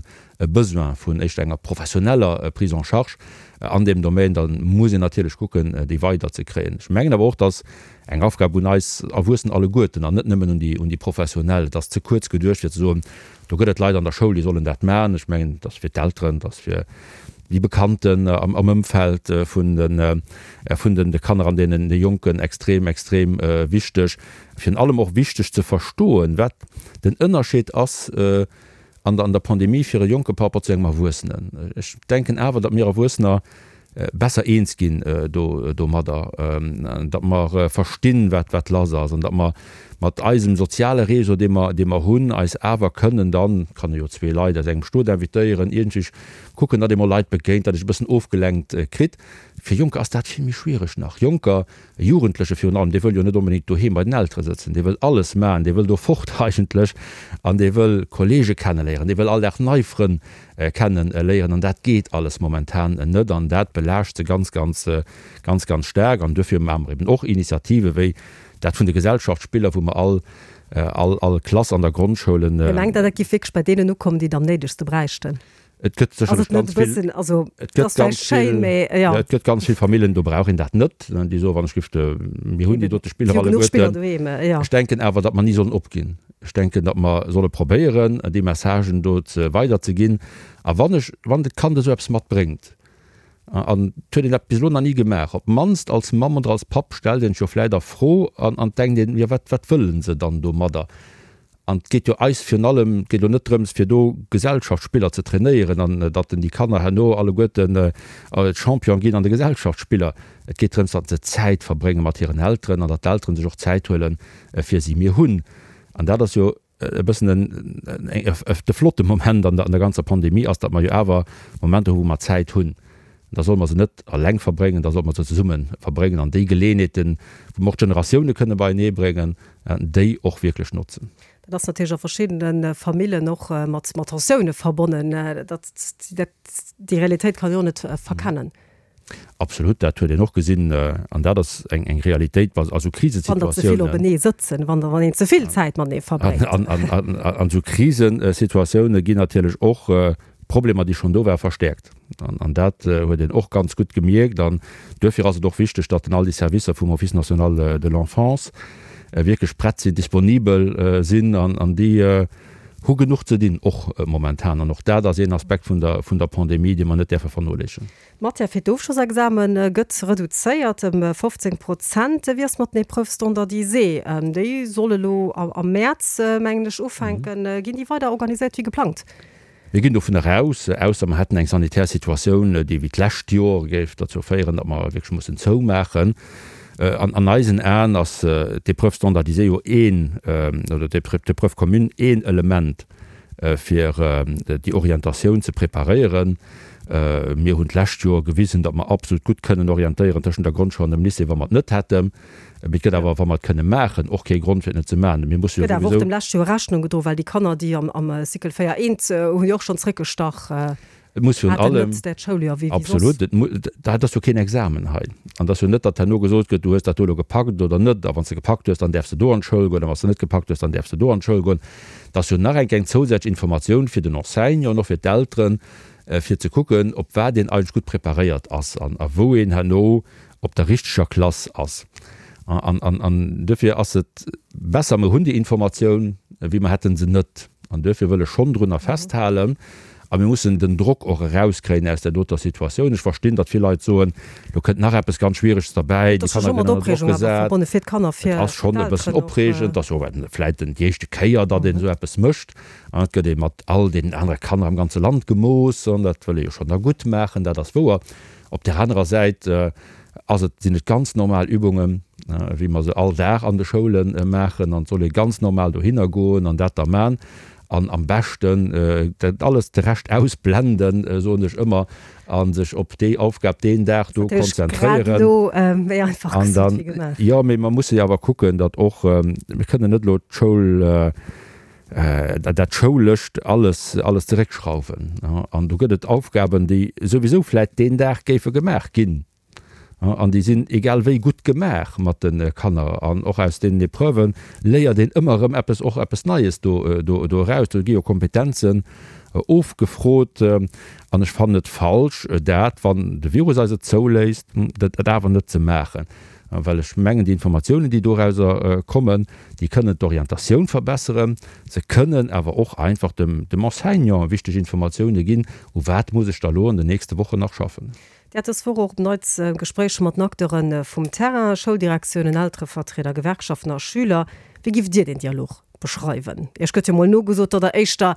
Besoin vun éischter enger professioneller Prise en charge an deem Domaine, da muss een natierlech kucken, déi weiderzekréien. Ech mengen awer och, dass eng Aufgab un eis Erwuessen alleguerten an net nëmmen un déi, un déi Professionell, et ass ze kuerz geduecht fir ze soen, do gëtt et Leit an der Schoul, déi sollen dat maachen. Ech mengen, et ass fir d'Elteren, et ass fir déi Bekannten am Ëmfeld vun de, vun de Kanner an deenen Jonken extrem, extrem wichteg. Virun allem och wichteg ze verstoen, wat den Ënnerscheed ass an der, an der Pandemie fir e Jonke par rapport zu engem Erwuessenen. Ech denken awer, datt mir Erwuessener besser eens ginn do, domadder, datt mer verstinn, wat, wat lass ass an datt mer mat eisem soziale Réseau, dee mer, dee mer hunn, eis awer kënnen dann, kann ee jo zwee Leit aus engem Stot invitéieren, iergendwéi kucken, datt ee mol Leit begéint, datt ee sech e bëssen ofgelenkt kritt. Fir Jonker ass dat vill méi schwiereg nach. Jonker, e Jugendleche virun allem, dee wëll jo net onbedéngt doheem bei den Eltere sëtzen, dee wëll alles maachen, dee wëll do fort eigentlech an dee wëll Kollege kenneléieren, dee wëll all Dag nei Frënn kenneléieren an dat geet alles momentan net an dat belaascht se ganz, ganz, ganz, ganz staark an duerfir maache mer eben och Initiative wéi dat vun de Gesellschaftsspiller, wou mer all, all, all Klass an der Grondschoul en. Dir mengt, dat géif wierklech bei deenen ukommen, déi et am néidegste bräichten? Et gëtt sécherlech ganz vill, et gëtt ganz vill, jo, et gëtt ganz vill Famillen, do brauch een dat net, déi soen, wann ech giff de, mir hunn déi dote Spiller alleguerten. Ech denken awer, datt mer ni sollen opginn. Ech denken, datt mer solle probéieren, déi Messagen do ze weiderzeginn. A wann ech, wann de Kand esou eppes matbréngt, an et huet een dat bis elo nach ni gemaach, op d'mannst als Mamm oder als Papp stellt een sech jo vläicht a Fro an an denkt een, jo wat, wat wëllen se dann domadder? An et geet jo eis virun allem, et geet elo net drëms, fir do Gesellschaftsspiller ze trainéieren an datt den déi Kanner herno alleguerten Champion ginn an de Gesellschaftsspiller. Et geet drëms, datt se Zäit verbrénge mat hiren Elteren an datt d'Elteren sech och Zäit huele fir si. Mir hunn, an dat ass jo e bëssen en, de flotte Moment an der ganzer Pandemie ass, datt mer jo awer Momenter hu wou mer Zäit hunn. Da solle mer se net eleng verbréngen, da solle mer se zesumme verbréngen an déi Geleeënheeten, wou mer och d'Generatioune kënne beienee bréngen, déi och wierklech notzen. Dat ass natierlech a verschiddene Famillen och mat Tensioune verbonnen. Dat, déi Realitéit kann een och net verkennen. Absolut, dat huet een och gesinn. An dat ass eng Realitéit a sou Krisesituatiounen. Wann der ze vill openee sëtzen, wann een ze vill Zäit matenee verbréngt. An esou Krisesituatioune ginn natierlech och Problemer, déi schonn do waren, verstäerkt. An dat huet een och ganz gutt gemierkt. An duerfir ass et och wichteg, datt all déi Servicer vum Office national de l'enfance wierklech prett sinn, disponibel sinn. An déi hu genuch ze dinn, och momentan. An och dat ass een Aspekt vun der, vun der Pandemie, dee mer net däerfe vernoléissen. D'Matière fir d'Ofschlossexame gëtt reduzéiert ëm 15 Prozent. Wéi ass mat den Épreuves standardisées? Déi solle lo am Mäerz, mengen ech, ufänken. Ginn déi weider organiséiert wéi geplangt? Mir ginn dovun eraus, ausser mer hätten eng sanitär Situatioun, déi wéi d'lescht Joer géif derzou féieren, datt mer wierklech mussen zoumaachen. An an eisen Aen ass d'Épreuve standardisée jo een, oder d'Épreuve commune een Element, fir déi Orientatioun ze preparéieren. Mir hunn d'lescht Joer gewisen, datt mer absolut gutt kënnen orientéieren tëschent der Grondschoul an dem Lycée, wa mer et net hätten. Mee et gëtt awer, wa mer et kënne maachen, och kee Grond, fir et net ze maachen. Mir musse jo souwisou. Gëtt awer och dem leschte Joer Rechnung gedroen, well déi Kanner, déi am Cycle 4 eent, hunn jo och schonn zréckgestach. Et muss virun allem, absolut, dat ass jo keen Examen hei. An et ass jo net, datt herno gesot gëtt, du hues dat do elo gepackt oder net, a wann s de gepackt hues, dann däerfs de do an d'Schoul goen, a wann s de net gepackt hues, dann däerfs de do an d'Schoul goen. Et ass jo nach eng eng zousätzlech Informatioun fir den Enseignant an och fir d'Elteren, fir ze kucken, op wat een eigentlech gutt preparéiert ass an a wou een herno op der richteger Klass ass. An duerfir ass et besser, mer hunn déi Informatioun, wéi mer hätte se net. An duerfir wëll ech schonn drunner festhalen. A mir mussen den Drock och erauskréien aus där doter Situatioun. Ech verstinn, datt vill Leit soen, lo kënnt nach eppes ganz Schwiereges derbäi, déi Kanner ginn ënner Drock gesat. Et ass schonn e bëssen opreegend, et ass jo och vläicht déi éischte Kéier, datt een esou eppes mécht. An et gëtt ee mat all deenen anere Kanner am ganze Land gemooss an dat wëll ee jo schonn da gutt maachen, dat ass wouer. Op där anerer Säit ass et, sinn et ganz normal Übungen, wéi mer se all Dag an de Schoule maachen an et soll ee ganz normal dohinner goen an dat da man an am beschten dat alles de Rescht ausblenden, soen ech ëmmer, a sech op déi Aufgab deen Dag do konzentréieren. An dann, jo, mee mer musse jo awer kucken, datt och, mir kënnen net elo d'Schoul, dat Schoulescht alles, alles zeréckschrauwen. An do gëtt et Aufgaben, déi souwisou vläit deen Dag géife gemaach ginn. An déi sinn egal wéi gutt gemaach mat de Kanner. An och aus deenen Epreuve léiert een ëmmer erëm eppes, och eppes Neies do, do, do eraus. Do gi jo Kompetenzen ofgefrot. An ech fannen et falsch, dat, wann de Virus eis et zouléisst, dat awer net ze maachen. Well ech mengen, déi Informatiounen, déi dorauser kommen, déi kënnen d'Orientatioun verbesseren. Se kënnen awer och einfach dem Enseignant wichteg Informatioune ginn, U wat muss ech da lo an den nächste Wochen nach schaffen? Dir hat dës Woch och op Neits Gespréicher mat den Acteure vum Terrain, Schouldirektiounen, Elterevertrieder, Gewerkschaften a Schüler. Wéi giff Dir deen Dialog beschreiwen? Iech gëtt jo mol nogesot, datt Der éischter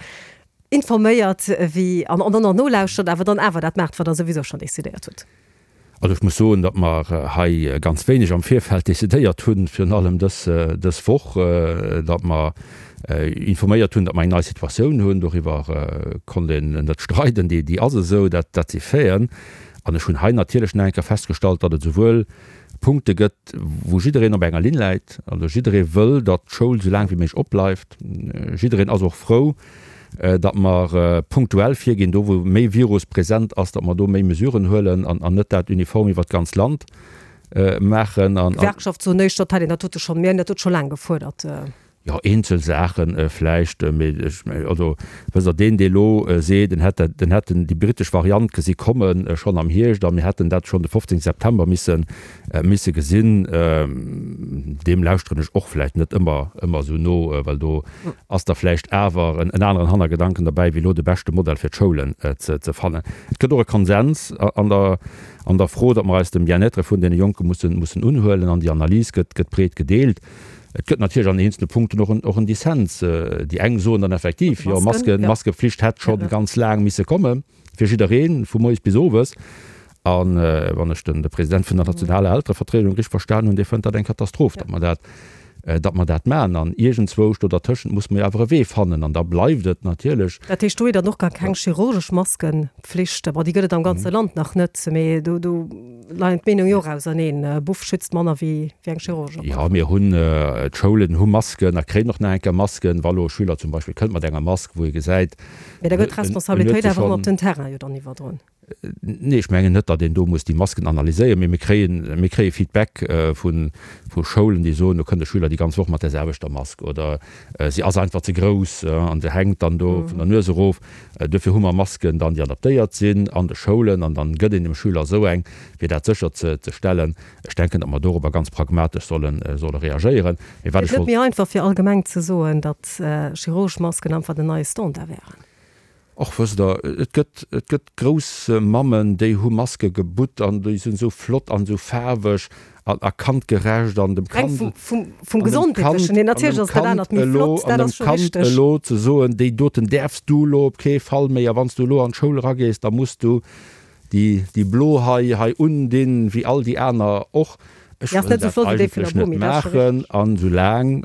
informéiert wéi an dann och nolauschtert, awer dann awer dat maacht, wat Der souwisou schonn decidéiert hutt. Also ech muss soen, datt mer hei ganz wéineg am Virfeld decidéiert hunn, virun allem dës, dës Woch, datt mer informéiert hunn, datt mer eng nei Situatioun hunn. Doriwwer konnt een net streiden, déi, déi ass esou, dat, dat si Faiten. An ech hunn hei natierlech nach eng Kéier festgestallt, datt et esouwuel Punkte gëtt, wou jiddereen op enger Linn läit, also jidderee wëll, datt d'Schoul esou laang wéi méiglech opbleift, jiddereen ass och frou, datt mer punktuell virginn, do wou méi Virus present ass, datt mer do méi Mesuren huelen an net dat uniform iwwert d'ganz Land maachen. D'Gewerkschaft soen éischter, dat hätt een dat dote schonn, mir hunn dat dote scho laang gefuerdert. Jo, eenzel Saache vläicht, mee ech, also wësst Der, deen, dee elo seet, en hätt dat, en hätten déi brittesch Variant gesi komme schonn am Hierscht a mir hätten dat schonn de 15 September misse, misse gesinn, deem lauschteren ech och vläicht net ëmmer, ëmmer esou no, well do Ass da vläicht awer en aneren Hannergedanken derbäi, wéi elo de beschte Modell fir d'Schoulen ze fannen? Et gëtt och e Konsens an der an der Fro, datt mer eis dem Bien-être vun deene Jonke mussen mussen unhuelen, an déi Analys gëtt gëtt breet gedeelt. Et gëtt natierlech an eenzele Punkten och en och en Dissens. Déi eng soen dann effektiv, jo, Masken, Maskepflicht hätt scho ganz laang misse kommen. Fir jiddereen, vu moies bis owes. A wann ech den de President vun der nationaler Elterevertriedung richteg verstan hunn, dee fënnt dat eng Katastroph, datt mer dat, datt mer dat maachen. An iergendzwousch do dertëschent muss mer jo awer e Wee fannen. An da bleift et natierlech. Dat heescht, do wier dann och gar keng chirurgesch Maskenpflicht. Bon, déi gëtt et am ganze Land nach net, mee do, do leien d'Meenunge jo och auserneen. E Buff schützt manner wéi eng chirurgesch Operatioun. Jo, mir hunn, d'Schoulen hu Masken a kréien och nach eng Kéier Masken. Wa lo e Schüler zum Beispill kënnt mat enger Mask, wou ee gesäit, Mee da gëtt d'Responsabilitéit awer ëmmer op den Terrain jo dann iwwerdroen. Nee, ech mengen net, datt een do muss déi Masken analyséieren, mee mir kréien, mir kréie Feedback vu vu Schoulen, déi soen, do kënnt e Schüler déi ganz Woch mat där selwechter Mask oder si ass einfach ze grouss an se hänkt dann do vun der Nues erof. Duerfir hu mer Masken dann, déi adaptéiert sinn an de Schoulen an dann gëtt een dem Schüler esou eng, fir dat sécher ze ze stellen. Ech denken, datt mer dorobber ganz pragmatesch solle solle reagéieren. Mee wat ech wollt. Et ass net méi einfach fir allgemeng ze soen, datt chirurgesch Masken einfach den neie Standard wären. Och wësst Der, et gëtt, et gëtt grouss Mammen, déi hu Maske gebutt an déi sinn esou flott an esou faarweg an a kandgerecht an dem Kand, Reng vum, vum Gesondheetlechen hier, natierlech ass dat anert méi flott, dat ass scho richteg. An dem Kand elo ze soen, déi doten däerfs du elo op kee Fall méi a wann s du elo an d'Schoul eragees, da muss du déi, déi blo hei, hei undinn, wéi all déi aner och. Ech wëll dat eigentlech net maachen. An soulaang.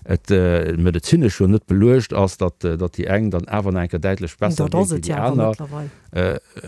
et medezinesch jo net beluecht ass, datt déi eng dann awer nach eng Kéier däitlech besser Dat ass géint et wéi jo déi awer aner. mëttlerweil.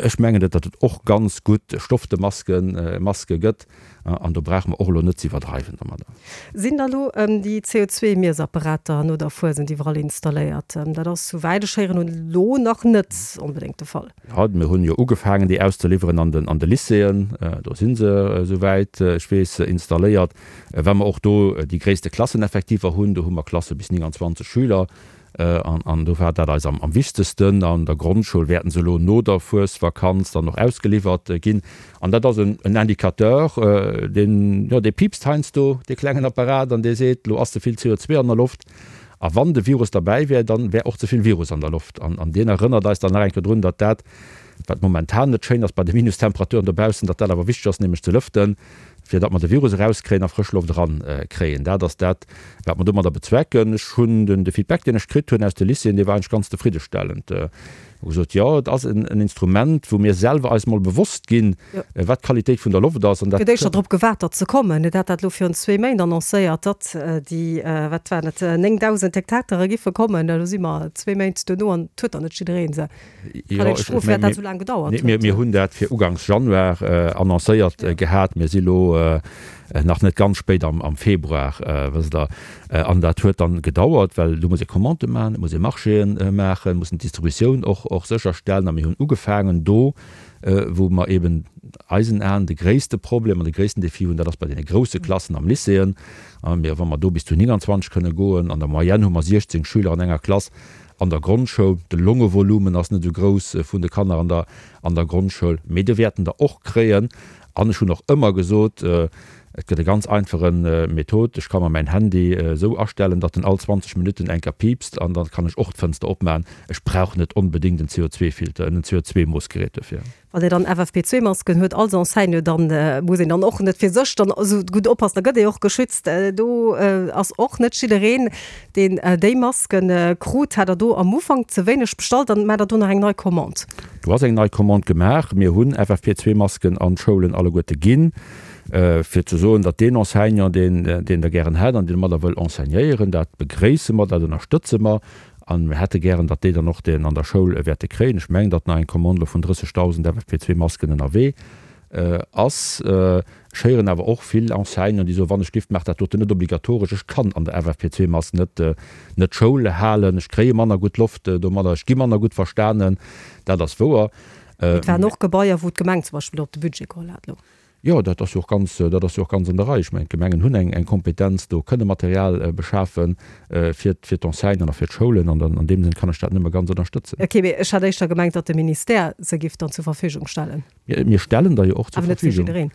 Ech mengen et, datt et och ganz gutt gestofte Masken, Maske gëtt an do brauche mer och elo net ze iwwerdreiwen domadder. Sinn da lo déi CO2-Miessapparater no der Fuesent iwwerall installéiert? Dat ass, souwäit ech héieren hunn, elo nach net onbedéngt de Fall. Jo, mir hunn jo ugefaangen, déi auszeliwweren an den, an de Lycéeën. Do si se, souwäit ech weess, installéiert. Well mer och do déi gréisste Klasseneffektiver hunn, do hu mer Klasse bis 29 Schüler, an do war dat eis am wichtegsten. An der Grondschoul wäerten se elo no der Fuesvakanz dann och ausgeliwwert ginn. An dat ass en Indicateur, deen, jo, dee piipst heiansdo, dee klengen Apparat, an dee seet, elo ass ze vill CO2 an der Loft. A wann de Virus derbäi wär, dann wär och ze vill Virus an der Loft. An deen erënnert eis dann nach eng Kéier drun, datt dat, wat momentan net schéin ass bei de Minustemperaturen dobaussen, datt dat awer wichteg ass, nämlech ze lëften, fir datt mer de Virus erauskréien a frësch Loft erankréien. Dat ass dat, wat mer domadder bezwecken. Ech hunn den, de Feedback, deen ech kritt hunn aus de Lycéeën, dee war eigentlech ganz zefriddestellend. Hu gesot, jo, et ass en Instrument, wou mir selwer eis mol bewosst ginn, wat d'Qualitéit vun der Loft ass. An dat. Gëtt éischter drop gewaart, datt se kommen. Et hat dat elo virun zwee Méint annoncéiert, datt déi, wat waren et, 9.000 Hektatere giffe kommen. Elo si mer zwee Méint duerno an et huet nach net jidderee se. Kann eng Strof, firwat dat esou laang gedauert huet. Mir hunn dat fir uganks Januar annoncéiert gehat. Mir si lo nach net ganz spéit am Februar, wësst Der. An dat huet dann gedauert, well do muss ee Commandë maachen, et muss ee Marchéë maachen, mussen d'Distributioun och sécherstellen. A mir hunn ugefaangen do, wou mer eben eisen Aen de gréisste Problem an de gréissten Defi hunn, dat ass bei deene grousse Klassen am Lycéeën. A mir, wa mer do bis zu 29 kënne goen, an der Moyenne hu mer 16 Schüler an enger Klass, An der Grondschoul, de Longevolumen ass net esou grouss vun de Kanner an der an der Grondschoul, mee do wäerten der och kréien. An ech hunn och ëmmer gesot, et gëtt e ganz einfache Method, ech ka mer mäin Handy esou astellen, datt en all 20 Minutten eng Kéier piipst an da kann ech och d'Fënster opmachen. Ech brauch net onbedéngt en CO2-Filter, en CO2-Moossgerät dofir. Wann ee dann FFP2-Masken huet als Enseignant, dann muss een dann och net fir sech dann esou gutt oppassen, da gëtt ee och geschützt. Do ass och net jiddereen, deen déi Masken krut. Hat Der do am Ufank ze wéineg bestallt? Dann maacht Der do nach eng nei Commande? Do ass eng nei Commande gemaach. Mir hunn FFP2-Masken an d'Schoulen alleguerte ginn, fir ze soen, datt deen Enseignant, deen deen der gären hätt an deen domadder wëll enseignéieren, dat begréisse mer, dat ënnerstëtze mer. A mir hätte gären, datt déi dann och deen an der Schoul wäerte kréien. Ech mengen, datt nach eng Commande elo vun 30.000 FFP2-Masken ënnerwee ass. Ech héieren awer och vill Enseignanten, déi soen, Wann ech giff, maacht dat doten net obligatoresch. Ech kann an der FFP2-Mask net net Schoul halen. Ech kréie manner gutt Loft domadder. Ech gi manner gutt verstanen. Dat ass wouer. Et waren och Gebaier, wou d'Gemeng zum Beispill op de Budget geholl hat elo. Jo, dat ass jo och ganz, dat ass jo och ganz an der Rei. Ech mengen, d'Gemengen hunn eng, eng Kompetenz do, kënne Material beschafe fir, fir d'Enseignanten a fir d'Schoulen. An dann an deem Sënn kann ech dat nëmme ganz ënnerstëtzen. Ok, mee ech hat éischter gemengt, datt de Ministère se giff dann zur Verfügung stellen. Mir, mir stellen der jo och zur Awer net fir Verfügung. jiddereen.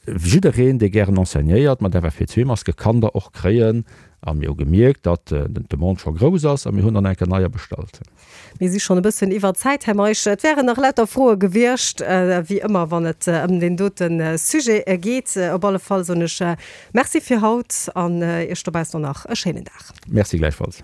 Jiddereen, dee gären enseignéiert mat FFP2-Maske, kann der och kréien. A mir hu gemierkt, datt d'Demande scho grouss ass a mir hunn dann eng Kéier neier bestallt. Mir si schonn e bëssen iwwer Zäit, Här Meisch. Et wären nach lauter Froe gewiescht, wéi ëmmer, wann et ëm deen dote Sujet geet. Op alle Fall soen ech Merci fir haut an Iech dobaussen och nach e schéinen Dag. Merci gläichfalls.